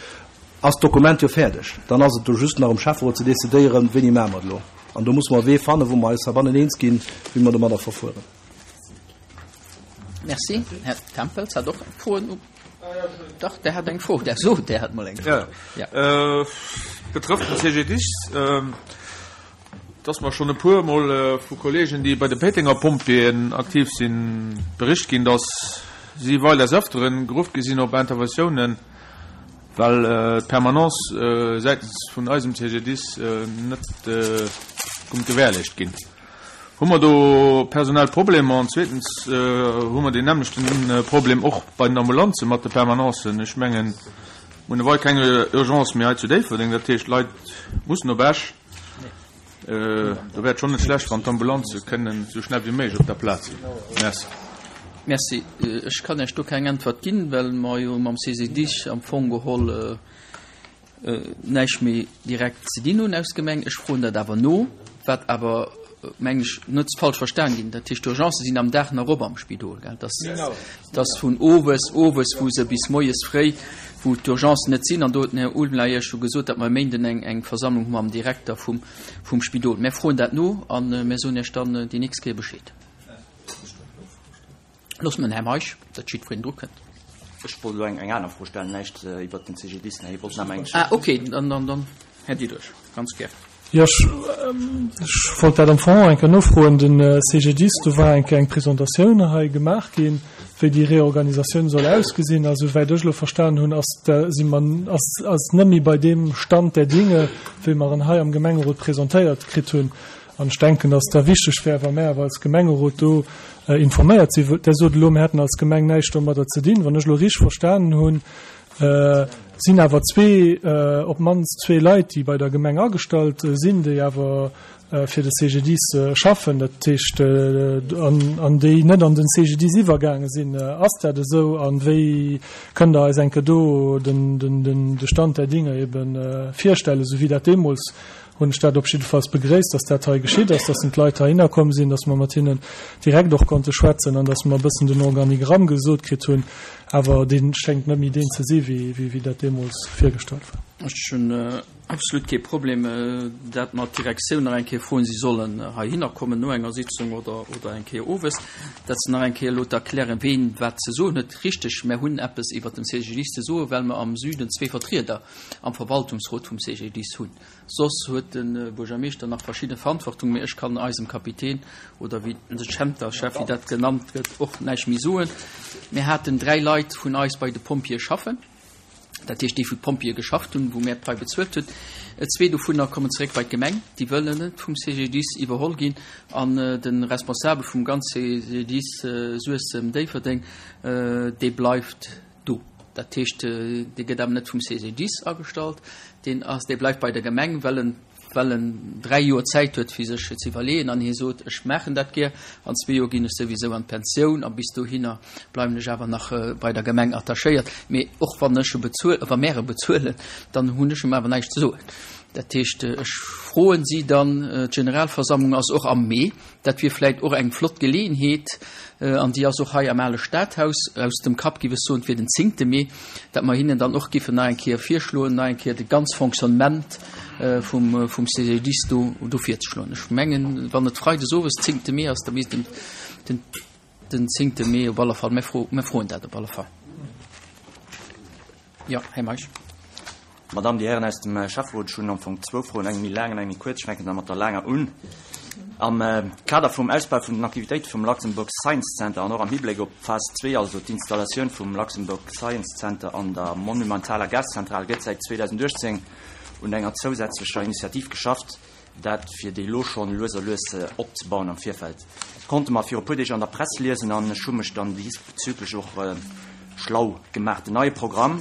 ass d'Dokument jo fäerdeg. Dann ass et do just nach um Schäfferot ze decidéieren, wéini maache mer et elo. An do musse mer e Wee fannen, wou mer eis heibannen eens ginn, wéi mer domadder verfueren. Merci. Här Tempels hat och Froen. Dach, Der hat eng Fro. Der sot, Der hat mol eng Fro. Ja. Betrëfft den CGDIS. Et ass mer schonn e puer Mol vu Kolleegen, déi bei de Péitenger Pompjeeën aktiv sinn, bericht ginn, dass si wei des Ëfteren geruff gi sinn op Interventiounen, well d'Permanence säitens vun eisem CGDIS net konnt gewährleescht ginn. Hu mer do personell Problemer? An zweetens hu mer deen nämmlechten Problem och bei den Ambulanze mat de Permanencen. Ech mengen, mir hunn ewei keng Urgence méi hei zu Déifferdeng, dat heescht, d'Leit mussen op Esch. Do wär et schonn net schlecht, wann d'Ambulanze kënnen esou schnell wéi méiglech op der Plaz sinn. Merci. Merci. Ech kann Iech do keng Äntwert ginn, well mer jo mam CGDIS am Fong geholl näischt méi direkt ze dinn hunn aus Gemeng. Ech froen dat awer no, wat awer, mengen ech, net falsch verstan ginn. Dat heescht, d'Urgencë sinn am Dag nach op am Spidol, gell? Dat ass vun owes, owes, wou se bis moies fréi, wou d'Urgencen net sinn. An do huet den Här Ulmler Iech scho gesot, datt mer e Méinden eng, eng Versammlung hu mam Direkter vum, vum Spidol. Mär froen dat no a mär soen Iech dann déi nächst Kéier Bescheed. Loosse mer den Här Meisch, datt jiddwereen dru kënnt. Ech wollt elo eng, eng aner Fro stellen, näischt iwwert den CGDIS. Ech wollt nëmme eng. Ah, okay, dann, dann, dann Här Diderich, ganz gär. Jo, ech wollt dat am Fong och eng Kéier nofroen. Den CGDIS, do war eng Kéier eng Presentatioun hei gemaach ginn, wéi déi Reorganisatioun soll ausgesinn. A souwäit ech elo verstanen hunn, ass si mer, ass ass net méi bei deem Stand der Dinge, wéi mer en hei am Gemengerot presentéiert kritt hunn. An ech denken, dass et da wichteg wär, wa mär awer als Gemengerot do informéiert sinn. Der sot elo, mir hätten als Gemeng näischt domadder ze dinn. Wann ech elo richteg verstanen hunn, sinn awer zwee, op d'mannst zwee Leit, déi bei der Gemeng agestallt sinn, déi awer fir de CGDIS schaffen, dat heescht, an déi net an den CGDIS iwwergaange sinn. Ass dat esou a wéi kënnt Der eis eng Kéier do de Stand der Dinge ebe virstellen, esou wéi dat deemools hunn ech dat op jiddefalls begréisst, dass dat hei geschitt ass, dass d'Leit heihinner komm sinn, dass mer mat hinnen direkt och konnte schwätzen an dass mer e bëssen den Organigramm gesot kritt hunn. Awer dee schéngt net méi deen ze si wéi dat deemools virgestallt war. Ech hunn Absolut kee Problem, dat mer d'Direktioun nach eng Kéier froen, si sollen heihinner kommen no enger Sitzung oder, oder eng Kéier owes, dat se nach eng Kéier elo erklären, ween wat ze soen huet. Richteg, mär hunn eppes iwwert den CGDIS ze soen, well mer am Süden zwee Vertrieder am Verwaltungsrot vum CGDIS hunn. Soss huet de Buergermeeschter nach verschidde Verantwortung, mee ech kann eisem Kapitän oder wéi de Schämterchef, wéi dat genannt gëtt, och näischt méi soen. Mir haten dräi Leit vun eis bei de Pompjeeë schaffen. Dat heescht, déi wou d'Pompjeeë geschafft hunn, wou mär d'Pai bezuelt hunn. Zwee dovunner kommen zeréck bei d'Gemeng, déi wëllen net vum CGDIS iwwerholl ginn. An de Responsabel vum ganz CGDIS Suessem-Déifferdeng, dee bleift do. Dat heescht, dee gëtt awer net vum CGDIS agestallt, deen ass, dee bleift bei der Gemeng, well en well en 3 Joer Zäit huet fir sech ze iwwerleeën an hie sot, ech maachen dat gär, an zwee Joer ginn ech souwisou an d'Pensioun a bis dohinner bleiwen ech awer nach bei der Gemeng attachéiert, mee och wann ech e bezuel, wa mär e bezuelen, dann hunn ech em awer näischt ze soen. Dat heescht, ech froen si dann, d'Generalversammlung ass och am Mee, Dat wier vläit och eng flott Geleeënheet, an déi ass och hei am ale Stadhaus, aus dem Kapp giff ech soen, et wier den zéngte Mee, datt mer hinnen dann och giffen nach eng Kéier virschloen, nach eng Kéier de ganz Fonctionnement vum vum CGDIS do do virzeschloen. Ech mengen, wann et freides owes zéngte Mee ass, da misst en den den zéngte Mee op alle Fall, mir fro mir froen dat op alle Fall. Jo, Här Meisch. Madame, Dir Hären aus dem Schäfferot, ech hunn am Fong zwou Froen, eng méi laang an eng méi kuerz. Ech fänken da mat der laanger un. Am Kader vum Ausbau vun den Aktivitéite vum Luxembourg Science Center an och am Hibléck op d'Phas zwee, also d'Installatioun vum Luxembourg Science Center an der monumentaler Gaszentral, gëtt säit 2018 un enger zousätzlecher Initiativ geschafft, dat fir déi elo schonn lues a lues opzebauen am Virfeld. Dat konnte mer viru puer Deeg an der Press liesen an ech hu mech dann diesbezüglech och schlau gemaach. Den neie Programm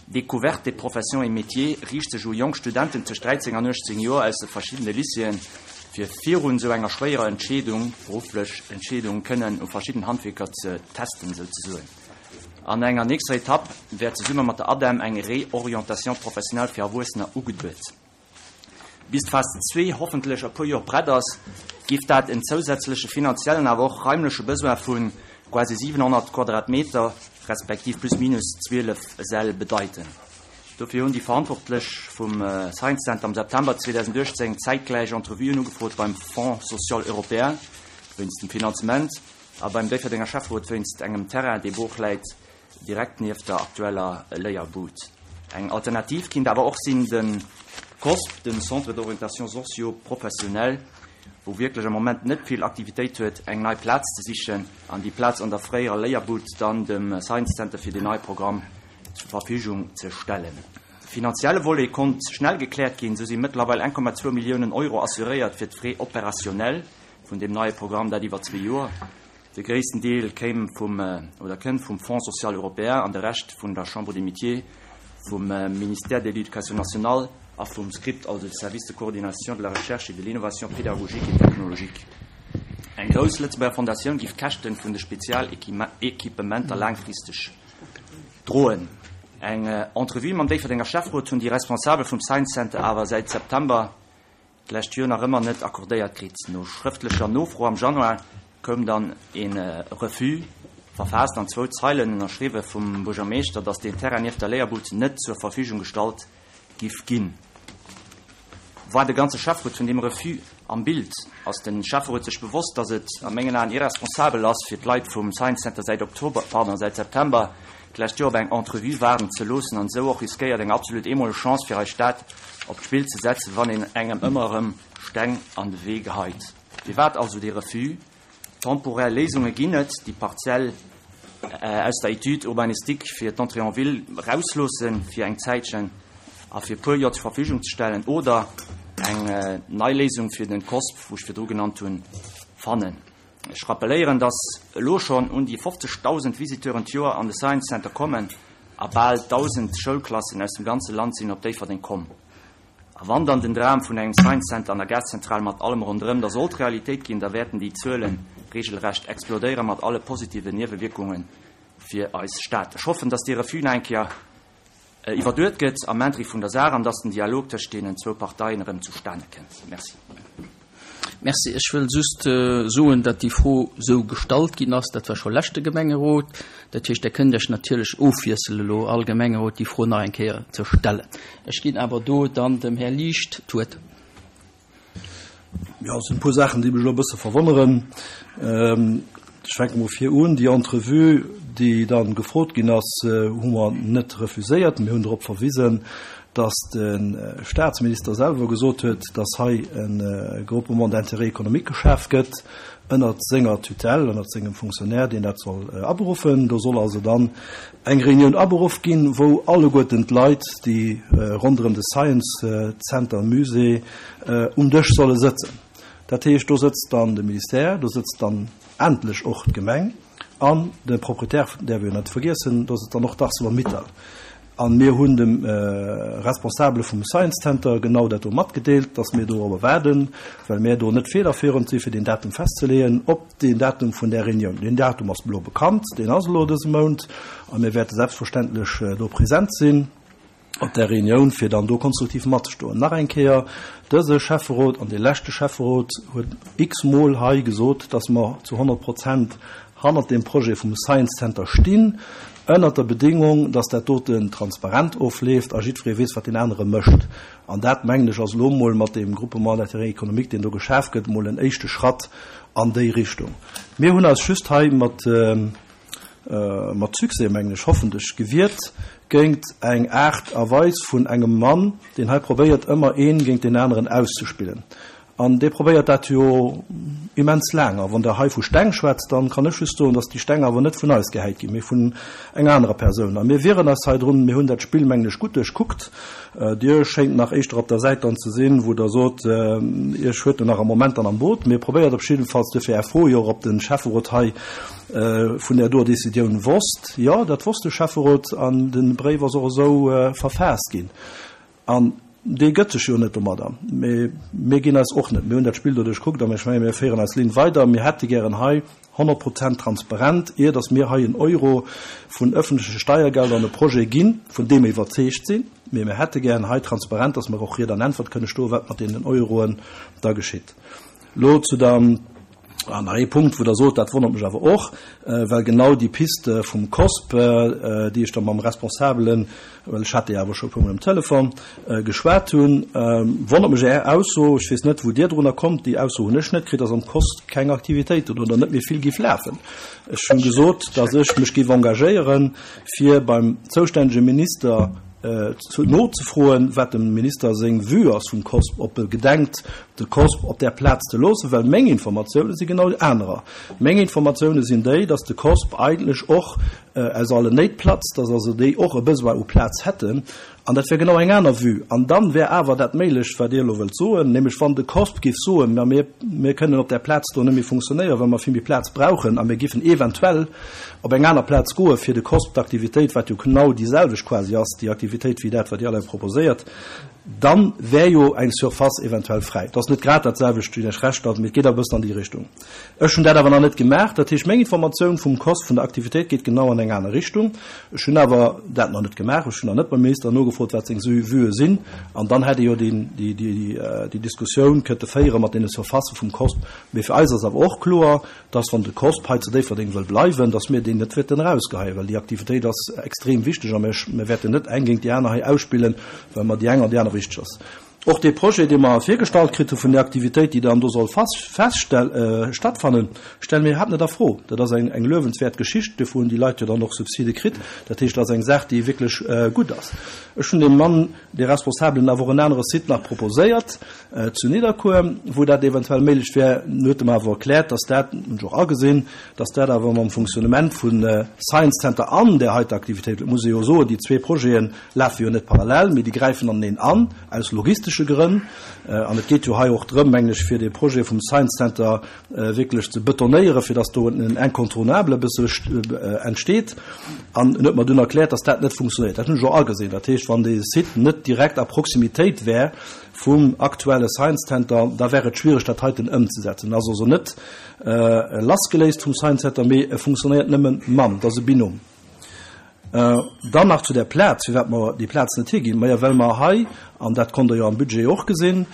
Découverte des professions et métiers riicht sech u jonk Studenten tëscht 13 an 18 Joer aus de verschiddene Lycéeën, fir virun esou enger schwéierer Entscheedung, berufflech Entscheedung, kënnen u verschidden Handwierker ze testen souzesoen. An enger nächster Etapp wäert zesumme mat der ADEM eng Réorientation professionnelle fir Erwuessener ugeduet. Bis d'Phas zwee hoffentlech a puer Joer prett ass, géif dat en zousätzleche finanziellen awer och raimleche Besoin vu quasi 700 Quadratmeter, respektiv plus minus 12 Säll bedeiten. Dofir hunn déi Verantwortlech vum Science Center am September 2018 zäitgläich Entrevuen ugefrot beim Fonds social européen wéinst dem Finanzement a beim Déifferdenger Schäfferot wéinst engem Terrain, dee brooch läit. Direkt nieft der aktueller Léierbud. Eng Alternativ kinnt awer och sinn de COSP, den Centre d'orientation socio-professionnelle, wou wierklech am Moment net vill Aktivitéit huet, eng nei Plaz ze sichen an déi Plaz an der fréierer Léierbud dann dem Science Center fir deen neie Programm zur Verfügung ze stellen. De finanzielle Volet konnt schnell gekläert ginn, sou si mëttlerweil 1,2 Milliounen Euro assuréiert fir d'Frais opérationnels vun deem neie Programm, dat iwwer zwee Joer. De gréissten Deel kéim vum, oder kënnt vum Fonds social européen an de Rescht vun der Chambre des Métiers, vum Ministère de l'Éducation nationale a vum script, also de Service de coordination de la recherche et de l'innovation pédagogique et technologique. Eng grouss Lëtzebuerger Fondatioun giff d'Käschte vun de Spezialéquipementer laangfristeg droen. Eng Entrevue mam Déifferdenger Schäfferot hunn déi Responsabel vum Science Center awer säit September d'lescht Joer nach ëmmer net accordéiert kritt. No schrëftlecher Nofro am Januar koum dann e Refus, verfaasst an zwou Zeilen, ënnerschriwwe vum Buergermeeschter, datt deen Terrain nieft der Léierbud net zur Verfügung gestallt giff ginn. War de ganze Schäfferot vun deem Refus am Bild? Ass de Schäfferot sech bewosst, datt et a mengen Aen irresponsabel ass, fir d'Leit vum Science Center säit Oktober, pardon, säit September d'lescht Joer op eng Entrevue waarden ze loossen an esou och riskéiert, eng absolut eemoleg Chance fir eis Stad op d'Spill ze setzen, wann een engem ëmmer erëm Steng an de Wee geheit? Firwat also dee Refus? Temporär Léisunge ginn et, déi Parzell aus der Étude urbanistique fir d'Entrée en ville erausloossen fir eng Zäitchen a fir e puer Joer zur Verfügung ze stellen oder eng nei Léisung fir den COSP, wou ech virdru genannt hunn, fannen. Ech rappeléieren, dass elo schonn un déi 50.000 Visiteuren d'Joer an de Science Center kommen a bal 1.000 Schoulklassen aus dem ganze Land sinn op Déifferdeng komm. A wann dann den Dram vun engem Science Center an der Gaszentral mat allem ronderëm da sollt Realitéit ginn, da wäerten déi Zuele regelrecht explodéiere mat alle positiven Niewewierkunge fir eis Stad. Ech hoffen, dass dee Refus nach eng Kéier iwwerduet gëtt am Intérêt vun der Saach an dass den Dialog tëscht deenen zwou Parteien erëm zustane kënnt. Merci. Merci. Ech wëll just soen, datt déi Fro esou gestallt ginn ass. Dat war scho leschte Gemengerot. Dat heescht, Der kënnt Iech natierlech ofwiessele elo, all Gemengerot déi Fro nach eng Kéier ze stellen. Ech ginn awer do dann dem Här Liecht d'Wuert. Jo, et sinn e puer Saachen, déi mech elo e bësse verwonneren. Ech fänke mol vir un. Déi Entrevue, déi dann gefrot ginn ass, hu mer net refuséiert. Mir hunn drop verwisen, dass de Statsminister selwer gesot huet, dass hei e Groupement d'intérêt économique geschaf gëtt ënnert senger Tutelle, ënnert sengem Fonctionnaire, deen dat soll aberuffen. Do soll also dann eng Reunioun aberuff ginn, wou alleguerten d'Leit, déi ronderëm de Science Center Musée um Dësch solle sëtzen. Dat heescht, do sëtzt dann de Ministère, do sëtzt dann endlech och d'Gemeng an de Proprietär, däerf ee jo net vergiessen, do sëtzt dann och d'Arcelor-Mittal. A mir hunn dem Responsabele vum Science Center genau dat do matgedeelt, dass mir dorobber waarden, well mir do net federführend si fir deen Datum festzeleeën, op deen Datum vun där Reunioun. Deen Datum ass elo bekannt, deen ass elo dëse Mount a mir wäerte selbstverständlech do present sinn op där Reunioun, fir dann do konstruktiv matzestoen. Nach eng Kéier, Dëse Schäfferot an dee leschte Schäfferot huet x-mol hei gesot, dass mer zu 100 Prozent hannert deem Projet vum Science Center stinn, ënnert der Bedingung, dass dat doten transparent ofleeft a jiddweree weess, wat deen anere mécht. An dat, mengen ech, ass elo emol mat deem Groupement d'intérêt économique, deen do geschaf gëtt, emol en éischte Schratt an déi Richtung. Mir hunn eis just hei mat, mat Succès, mengen ech, hoffentlech, gewiert géint eng Aart a Weis vun engem Mann, deen hei probéiert, ëmmer een géint deen aneren auszespillen. An dee probéiert dat jo immens laang. A wann Der hei vu Steng schwätzt, dann kann ech just soen, dass déi Steng awer net vun eis gehäit ginn, mee vun enger anerer Persoun. A mir wieren eis hei drun. Mir hunn dat Spill, mengen ech, gutt duerchkuckt. Dir schéngt nach éischter op der Säit dann ze sinn, wou Der sot, Iech huet en nach am Moment dann am Boot. Mee probéiert op jiddefalls, duerfir Är Fro jo och, ob de Schäfferot hei vun där doer Décisioun wosst. Jo, dat wosst de Schäfferot an de Bréif ass och esou verfaasst ginn. An dee gëtt sech jo net domadder. Mee mir ginn eis och net. Mir hunn dat Spill do duerchkuckt a ech menge mir féieren eis Linn weider. Mir hätte gären hei 100 Prozent transparent, ier datt mir hei en Euro vun öffentleche Steiergelder an e Projet ginn, vun deem mir iwwerzeegt sinn. Mee mir hätte gären hei transparent, datt mer och Ried an Äntwert kënne stoen, wat mat deenen Euroen da geschitt. Elo zu der, ah, nach ee Punkt, wou Der sot, dat wonnert mech awer och, well genau déi Piste vum COSP, déi ech da mam Responsabelen, well ech hat déi awer scho e puermol um Telefon, geschwat hunn, wonnert mech Är Ausso. Ech weess net, wou Dir drunner kommt, déi Ausso hunn ech net kritt, dass am COSP keng Aktivitéiten oder net méi vill géif lafen. Ech hunn gesot, dass ech mech géif engagéieren, fir beim zoustännege Minister nozefroen, wat dem Minister seng Vue ass vum COSP, ob e gedenkt, de COSP op där Plaz ze loossen, well meng Informatioune si genau déi anerer. Meng Informatioune sinn déi, dass de COSP eigentlech och aus allen Néit platzt, dass also déi och e Besoin u Plaz hätten. An dat wär genau eng aner Vue. An dann wär awer dat méiglech, wat Dir elo wëllt soen, nämlech wann de COSP géif soen, ma mir, mir kënnen op där Plaz do net méi funktionéieren, well mer vill méi Plaz brauchen a mir géifen eventuell op eng aner Plaz goe fir de COSP d'Aktivitéit, wat jo genau déi selwecht quasi ass, déi Aktivitéit wéi dat, wat Dir alleng proposéiert, dann wär jo eng Surface eventuell fräi. Et ass net grad dat selwecht, ginn ech Recht, mee et geet awer e bëssen an déi Richtung. Ech hunn dat awer nach net gemaach. Dat heescht, meng Informatioun vum COSP, vun der Aktivitéit geet genau an eng aner Richtung. Ech hunn awer dat nach net gemaach. Ech hunn nach net beim Minister nogefrot, wat seng Vuë sinn. An dann hätt ee jo déi Diskussioun kënnte féiere mat deene Surfacë vum COSP. Mee fir eis ass awer och kloer, dass wann de COSP hei zu Déifferdeng wëll bleiwen, dass mir deen net wäerten erausgeheien, well déi Aktivitéit ass extrem wichteg a mir wäerten net eng géint déi aner hei ausspillen, well mer déi eng an déi aner wichteg ass. Och dee Projet, dee mer virgestallt kritt hu vun där Aktivitéit, déi dann do soll stattfannen, stelle mir iwwerhaapt net a Fro. Dat ass eng luewenswäert Geschicht, dofir hunn déi Leit jo dann och Subside kritt. Dat heescht, dat ass eng Saach, déi wierklech gutt ass. Ech hunn deem Mann, dee Responsabelen, awer och en anere Site nach proposéiert, Zu Nidderkuer, wou dat eventuell méiglech wär. En huet em awer erkläert, dass dat, hunn ech och agesinn, dass dat awer mam Fonctionnement vun Science Center an där heiter Aktivitéit, et muss ee jo soen, déi zwee Projete lafe jo net parallel, mee déi gräifen aneneen an, aus logistesche. urbanistesche Grënn. An et geet jo hei och drëm, mengen ech, fir dee Projet vum Science Center wierklech ze betonéieren, fir dass do en Incontournable e bësse entsteet. An en huet mer dunn erkläert, dass dat net funktionéiert. Dat hunn ech och agesinn. Dat heescht, wann dee Site net direkt a Proximitéit wär vum aktuelle Science Center, da wär et schwiereg, dat heiten ëmzesetzen. En ass also net lassgeléist vum Science Center, mee e funktionéiert nëmme mam. Dat ass e Binôme. Dann nach zu där Plaz, firwat mer déi Plaz net higinn. Majo, well mer hei, an dat konnt Der jo am Budget och gesinn,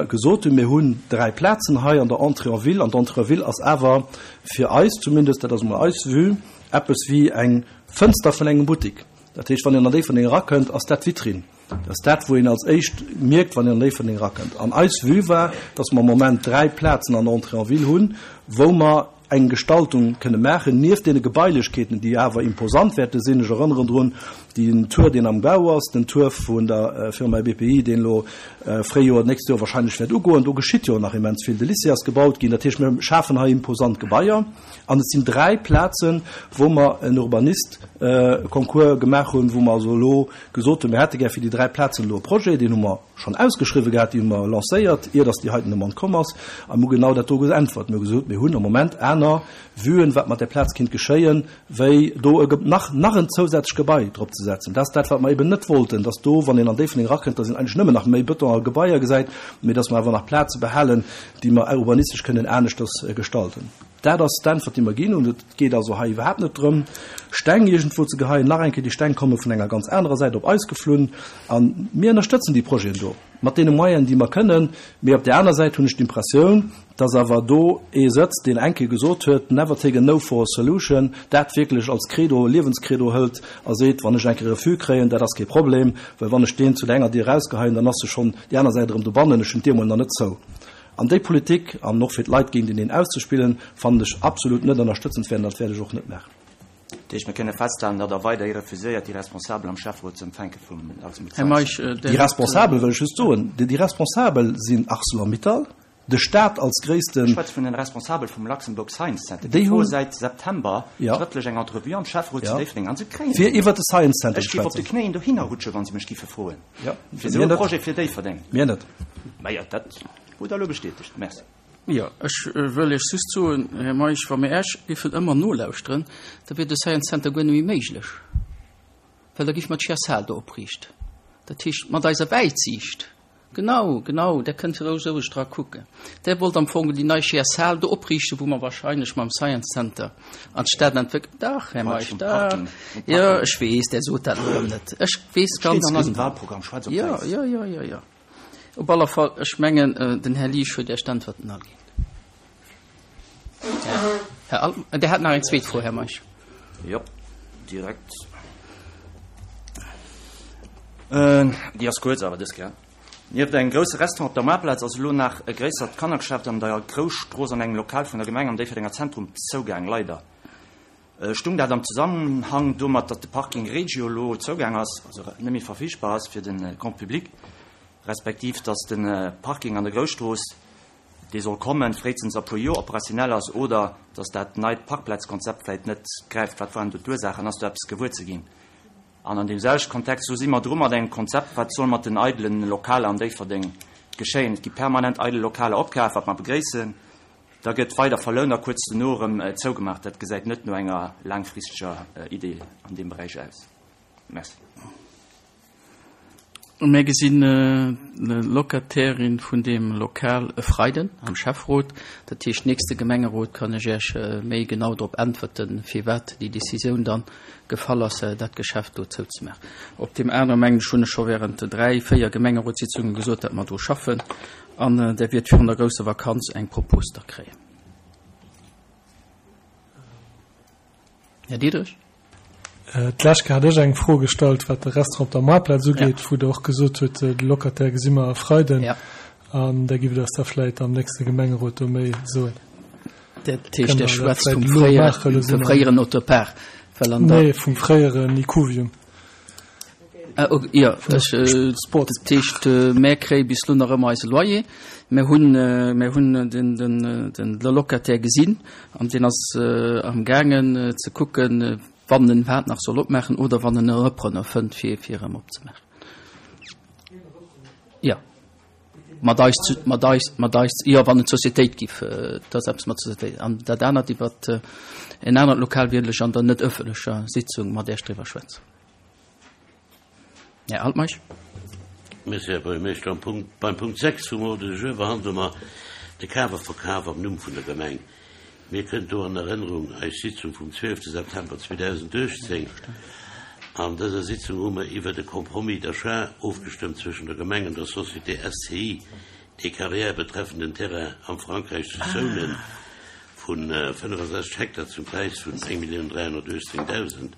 gesot hunn, mir hunn 3 Plazen hei an der Entrée en ville, an d'Entrée en ville ass awer fir eis zumindest, dat ass emol eis Vue, eppes wéi eng Fënster vun engem Buttik. Dat heescht, wann een an Déifferdeng erakënnt, ass dat d'Vitrinn. Dat ass dat, wou een als éischt mierkt, wann een an Déifferdeng erakënnt. An eis Vue war, dass mer am Moment 3 Plazen an der Entrée en ville hunn, wou mer eng Gestaltung kënne maachen, nieft deene Gebailechkeeten, déi awer imposant wäerte sinn. Ech erënneren drun, den Tour, deen am Bau ass, den Tour vun der Firma BPI, deen elo Fréijoer, d'nächst Joer wahrscheinlech wäert ugoen. Do geschitt jo nach immens vill. De Lycée ass gebaut ginn. Dat heescht, mir schafen hei imposant Gebaier. An et sinn 3 Plazen, wou mer en Urbanist-Concours gemaach hunn, wou mer also elo gesot hunn, mir hätte gär fir déi 3 Plazen elo e Projet. Deen hu mer schonn ausgeschriwwen gehat, déi hu mer lancéiert, ier datt déi heiten Demande komm ass. A mir hu genau dat do geäntwert. Mir hu gesot, mir hunn am Moment aner Vuen, wat mat där Plaz kinnt geschéien, wéi do e nach, nach en zousätzlecht Gebai drop ze setzen. Dat ass dat, wat mer eben net wollten, datt do, wann een an Déifferdeng erakënnt, datt een eigentlech nëmmen nach méi Bëton a Gebaier gesäit, mee datt mer awer nach Plaze behalen, déi mer urbanistesch kënnen aneschters gestalten. Dat ass d'Äntwert, déi mer ginn hunn. Et geet also hei iwwerhaapt net drëm, Steng iergendwou ze geheien. Nach eng Kéier, déi Steng komme vun enger ganz anerer Säit op eis geflunn. A mir ënnerstëtzen déi Projeten do mat deene Moyenen, déi mer kënnen. Mee op där aner Säit hunn ech d'Impressioun, dass awer do ee sëtzt, deen eng Kéier gesot huet, Never take a no for a solution, dat wierklech als Credo, Liewenskredo hëlt a seet, Wann ech eng Kéier e Refus kréien, dat ass kee Problem, well wann ech deen zu der enger Dier erausgeheien, dann ass e schonn déi aner Säit erëm dobannen, ech hunn d'Dier mol nach net zou. An déi Politik, an och fir d'Leit géinteneen auszespillen, fannen ech absolut net ënnerstëtzenswäert an dat wäert ech och net maachen. Dat heescht, mir kënne festhalen, datt Der weiderhi refuséiert, déi Responsabel am Schäfferot ze empfänke vum Luxembourg Här Meisch, Science Center. Déi Responsabel, wëll ech just soen, déi Responsabel sinn Arcelor-Mittal, de Stat als gréissten. Ech schwätze vun den Responsabel vum Luxembourg Science Center. Déi froe säit September schrëftlech eng Entrevue am Schäfferot zu Déifferdeng an se kréien se net. Fir iwwert de Science Center ze schwätzen. Ech géif op de Knéien dohinner rutschen, wa se mech giffe froen. Fir esou e Projet fir Déifferdeng. Mir net. Majo, dat hutt Der elo bestätegt. Merci. Jo, ech wëll Iech just soen, Här Meisch, wa mir Äech géifen ëmmer nolauschteren, da wier de Science Center guer net méi méiglech, well da géife mer d'Schiasal do opriichten. Dat heescht, mat eiser Wäitsiicht, genau, genau, Der kënnt roueg roueg dra kucken, Der wollt am Fong déi nei Schiasal do opriichten, wou mer wahrscheinlech mam Science Center an d'Stad entwéckelt. Dach, Här Meisch, dach. Jo, ech weess, Der sot dat elo erëm net. Ech weess ganz genau. Steet an eisem Wahlprogramm, schwaarz op wäiss. Jo, jo, jo, jo, jo. Op alle Fall, ech mengen, den Här Liesch huet Iech d'Äntwerten all ginn. Här Altmann, Dir hat nach eng zweet Fro, Här Meisch. Jo, direkt. Déi ass kuerz awer dës Kéier. Nieft engem grousse Restaurant op der Moartplaz ass elo nach e gréissert Kannergeschäft an der Grousstrooss an engem Lokal vun der Gemeng am Déifferdenger Zentrum zougaang. Leider. Stung dat am Zesammenhang domat, datt de Parking Regio elo zougaang ass, also net méi verfügbar ass fir de Grand public, respektiv datt de Parking an der Grousstrooss, dee soll kommen, fréistens a puer Joer operationell ass, oder datt dat neit Parkplazkonzept vläicht net gräift? Wat waren do d'Ursaachen? Ass do eppes gewuer ze ginn? An an deem selwechte Kontext, wou si mer dru mat engem Konzept, wat soll mat den eidelen Lokaler an Déifferdeng geschéien? Et gi permanent eidel Lokaler opkaf, wat mer begréissen. Da gëtt weider verlount a kuerz dono erëm zougemaach. Dat gesäit net no enger laangfristeger Idee an deem Beräich aus. Merci. Mir gesinn d'Locatairin vun deem Lokal e Freiden am Schäfferot. Dat heescht, nächste Gemengerot kann ech Iech méi genau drop äntwerten, firwat déi Decisioun dann gefall ass, dat Geschäft do zouzemaachen. Op deem anere, mengen ech, hunn ech scho während dräi, véier Gemengerotssitzunge gesot, datt mer dru schaffen. An Der wiert virun der grousser Vakanz eng Propos da kréien. Här Diderich. D'lescht Kéier hat ech eng Fro gestallt, wat de Restaurant op der Moartplaz ugeet, wou Der och gesot hutt, de Locataire gesi mer e Freiden. An da giff Der eis da vläicht am nächste Gemengerot do méi soen. Dat heescht, Der schwätzt vum fréieren Autopark? Nee, vum fréieren Ikuvium. Ah, ok, jo, ech, Sport. Dat heescht, mär kréie bis elo nach ëmmer eise Loyer. Mär hunn, mär hunn den, den, den Locataire gesinn an deen ass amgaangen ze kucken, wann en iwwerhaapt nach soll opmaachen oder wann en e Repreneur fënnt, fir, fir erëm opzemaachen. Jo. Mat eis, mat eis, mat eis, jo, wann et d'Societéit giff, et ass eppes mat Societéit. An dat anert iwwer en anert Lokal wierdel ech an der net ëffentlecher Sitzung mat Iech driwwer schwätzen. Här Altmeisch. Merci, Här Buergermeeschter. Am Punkt, beim Punkt 6 vum Ordre du jour behandle mer de Kaf a Verkaf am Numm vun der Gemeng. Mir kënnt do an Erënnerung eis Sitzung vum 12 September 2018. An dëser Sitzung hu mer iwwert e Compromis d'achat ofgestëmmt zwëschen der Gemeng an der Société SCI des Carrières betreffend en Terrain am Frankräich zu Zounen vu 65 Hektar zum Präis vun 1.318.000.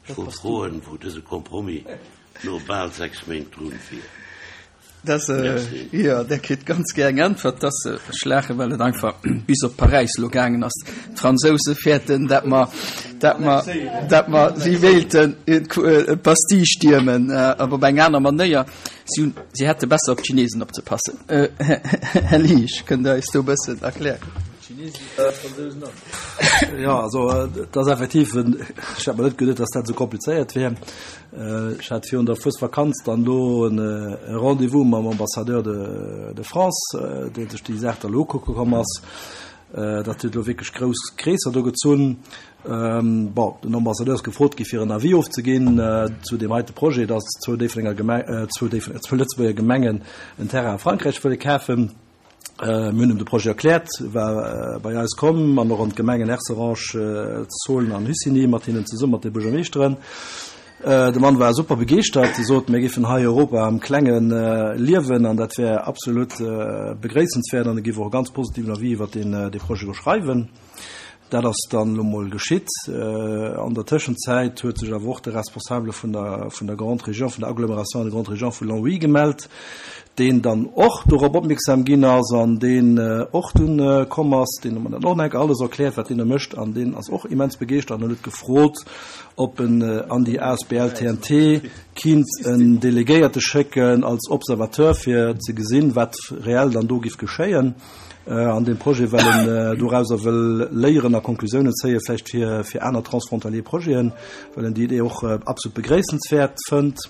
Ech wollt froen, wou dëse Compromis no bal 6 Méint drun wier. Dass, jo, Der kritt ganz gär eng Äntwert. Dass, ech laachen, well et einfach bis op Paräis elo gaangen ass. D'Fransouse fäerten, dat mer, dat mer, dat mer, si wéilten d'Bastille stiermen, awer op eng aner Manéier. Si hunn, si hätte besser op d'Chinesen opzepassen. Här Liesch, kënnt Der eis do e bëssen erklären? Jo, also et ass effektiv, ech hat mer net geduet, dass dat esou komplizéiert wär. Ech hat virun der Fuesvakanz dann elo e Rendez-vous mam Ambassadeur de France, dee sech déi Saach da elo ukucke komm ass. Dat huet elo wierklech grouss Kreesser do gezunn. Bon, den Ambassadeur ass gefrot gi fir en Avis ofzeginn zu deem heite Projet, dass zwou Déifferdenger Gemeng, zwou Déifferdenger, zwou Lëtzebuerger Gemengen en Terrain a Frankräich wëlle kafen. Mir hunn em de Projet erkläert, war bei eis komm an och an d'Gemengen Herserange, Zolen an Hussigny mat hinnen zesummen, mat de Buergermeeschteren. De Mann war super begeeschtert, sot, mir géifen hei Europa am Klenge liewen an dat wär absolut begréissenswäert an e géif och e ganz positiven Avis iwwert dee Projet do schreiwen. Dat ass dann elo mol geschitt. An der Tëschenzäit huet sech awer och de Responsabele vun der, vun der Grande Région, vun der Agglomération de Grande Région vu Longwy gemellt, deen dann och dorop opmierksam ginn ass an deen och dunn komm ass. Deen huet mer dann och nach eng Kéier alles erkläert, wat deen do mécht an deen ass och immens begeeschtert an huet gefrot, ob en an déi asbl TNT kinnt en Delegéierte schécken als Observateur, fir ze gesinn, wat reell dann do giff geschéien. An deem Projet, well en dorauser wëll léieren a Konklusiounen zéien, vläicht fir, fir aner transfrontalier Projeten, well en déi Idee och absolut begréissenswäert fënnt.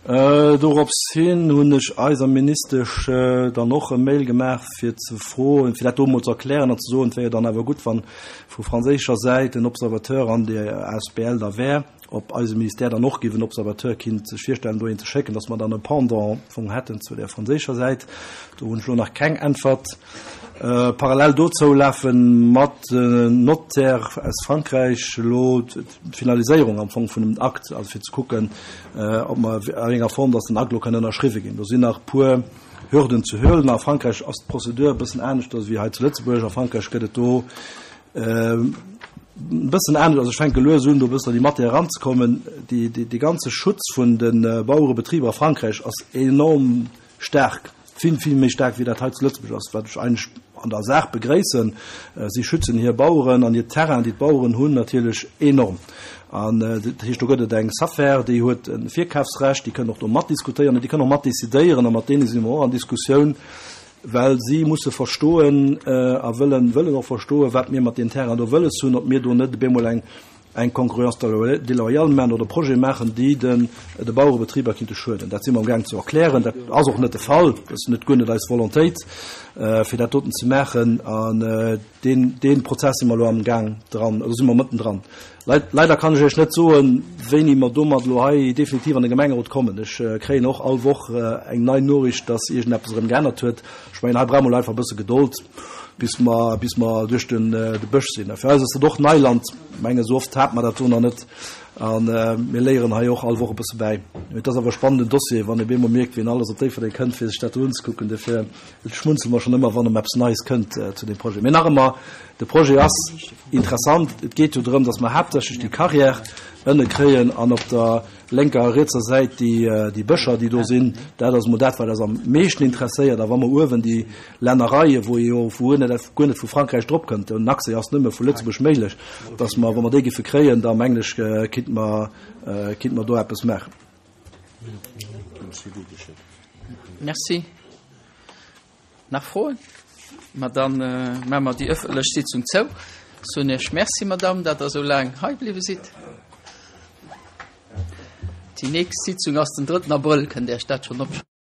Dorops hin hunn ech eiser Ministesch dann och e Mail gemaach, fir ze froen, fir dat do emol ze erklären an ze soen, et wär jo dann awer gutt, wann vu franséischer Säit en Observateur an där asbl da wär. ob eise Ministère dann och géif en Observateur kinnt sech virstellen, do een ze schécken, dass mer dann e Pendant am Fong hätten zu där franséischer Säit. Do hunn ech elo nach keng Äntwert. Parallel dozou lafe mat den Notaire aus Frankräich elo d'Finaliséierung am Fong vun dem Akt, also fir ze kucken, ob mer a wéi enger Form dass den Akt elo kann ënnerschriwwe ginn. Do sinn nach e puer Hürden ze huelen. A Frankräich ass d'Prozedur e bëssen aneschters wéi hei zu Lëtzebuerg. A Frankräich gëtt et do E bëssen anescht, also ech fänke lues un, do e bëssen an déi Matière eranzekommen. Dee, dee ganze Schutz vun de Bauerebetriber a Frankräich ass enorm staark, vill, vill méi staark, wéi dat hei zu Lëtzebuerg ass, wat ech eigentlech an der Saach begréissen. Si schützen hir Baueren an hir Terrainen, déi d'Baueren hunn, natierlech enorm. An dat heescht, do gëtt et eng Safer, déi huet e Virkafsrecht, déi kënn och do matdiskutéieren an déi kënn och matdecidéieren a mat deene si mer och an Diskussioun. Well si musse verstoen a wëllen, wëllen och verstoen, wat mir mat deem Terrain do wëlles hunn, ob mir do net op eemol eng, eng Concurrence déloyale maachen oder Projete maachen, déi den, de Bauerebetriber kinnte schueden. Dat si mer amgaang ze erklären. Dat ass och net de Fall. Dat ass net, guer net eis Volontéit, fir dat doten ze maachen. An Deen, dee Prozess si mer elo amgaang dran, do si mer mëtten dran. Leider kann ech Iech net soen, wéini mer domat elo hei definitiv an de Gemengerot kommen. Ech kréien och all Woch eng nei Noriicht, dass iergendeppes erëm geännert huet. Ech mengen, hei brauche mer elo einfach e bësse Gedold, bis mer, bis mer duerch den, de Bësch sinn. Fir eis ass dat och Neiland. Ech mengen, esou oft hate mer dat do nach net. A mir léieren hei och all Woch e bësse bäi. Mee et ass awer e spannenden Dossier, wann ee bemol mierkt, wien alles op Déifferdeng kënnt, fir sech dat do unzekucken. Dofir. Et schmunzele mer schonn ëmmer, wann erëm eppes Neies kënnt zu deem Projet. Mee nach ëmmer, de Projet ass interessant. Et geet jo drëm, datt mer haaptsächlech déi Carrière ënne kréien an op der lénker a rietser Säit déi Bëscher, déi do sinn. Dat ass emol dat, wat eis am meeschten interesséiert. A wa mer uewen déi Lännereien, wou ee jo vu guer net, guer net vu Frankräich drop kënnt, den Accès ass nëmme vu Lëtzebuerg méiglech, datt mer, wa mer déi géife kréien, da mengen ech, kinnte mer, kinnte mer do eppes maachen. Merci. Nach Froen? Ma dann maache mer déi ëffentlech Sitzung zou. Soen Iech Merci, Madamm, dat Der esou laang hei bliwwe sidd. Déi nächst Sitzung ass den drëtten Abrëll, kënnt Iech dat schonn opschreiwen.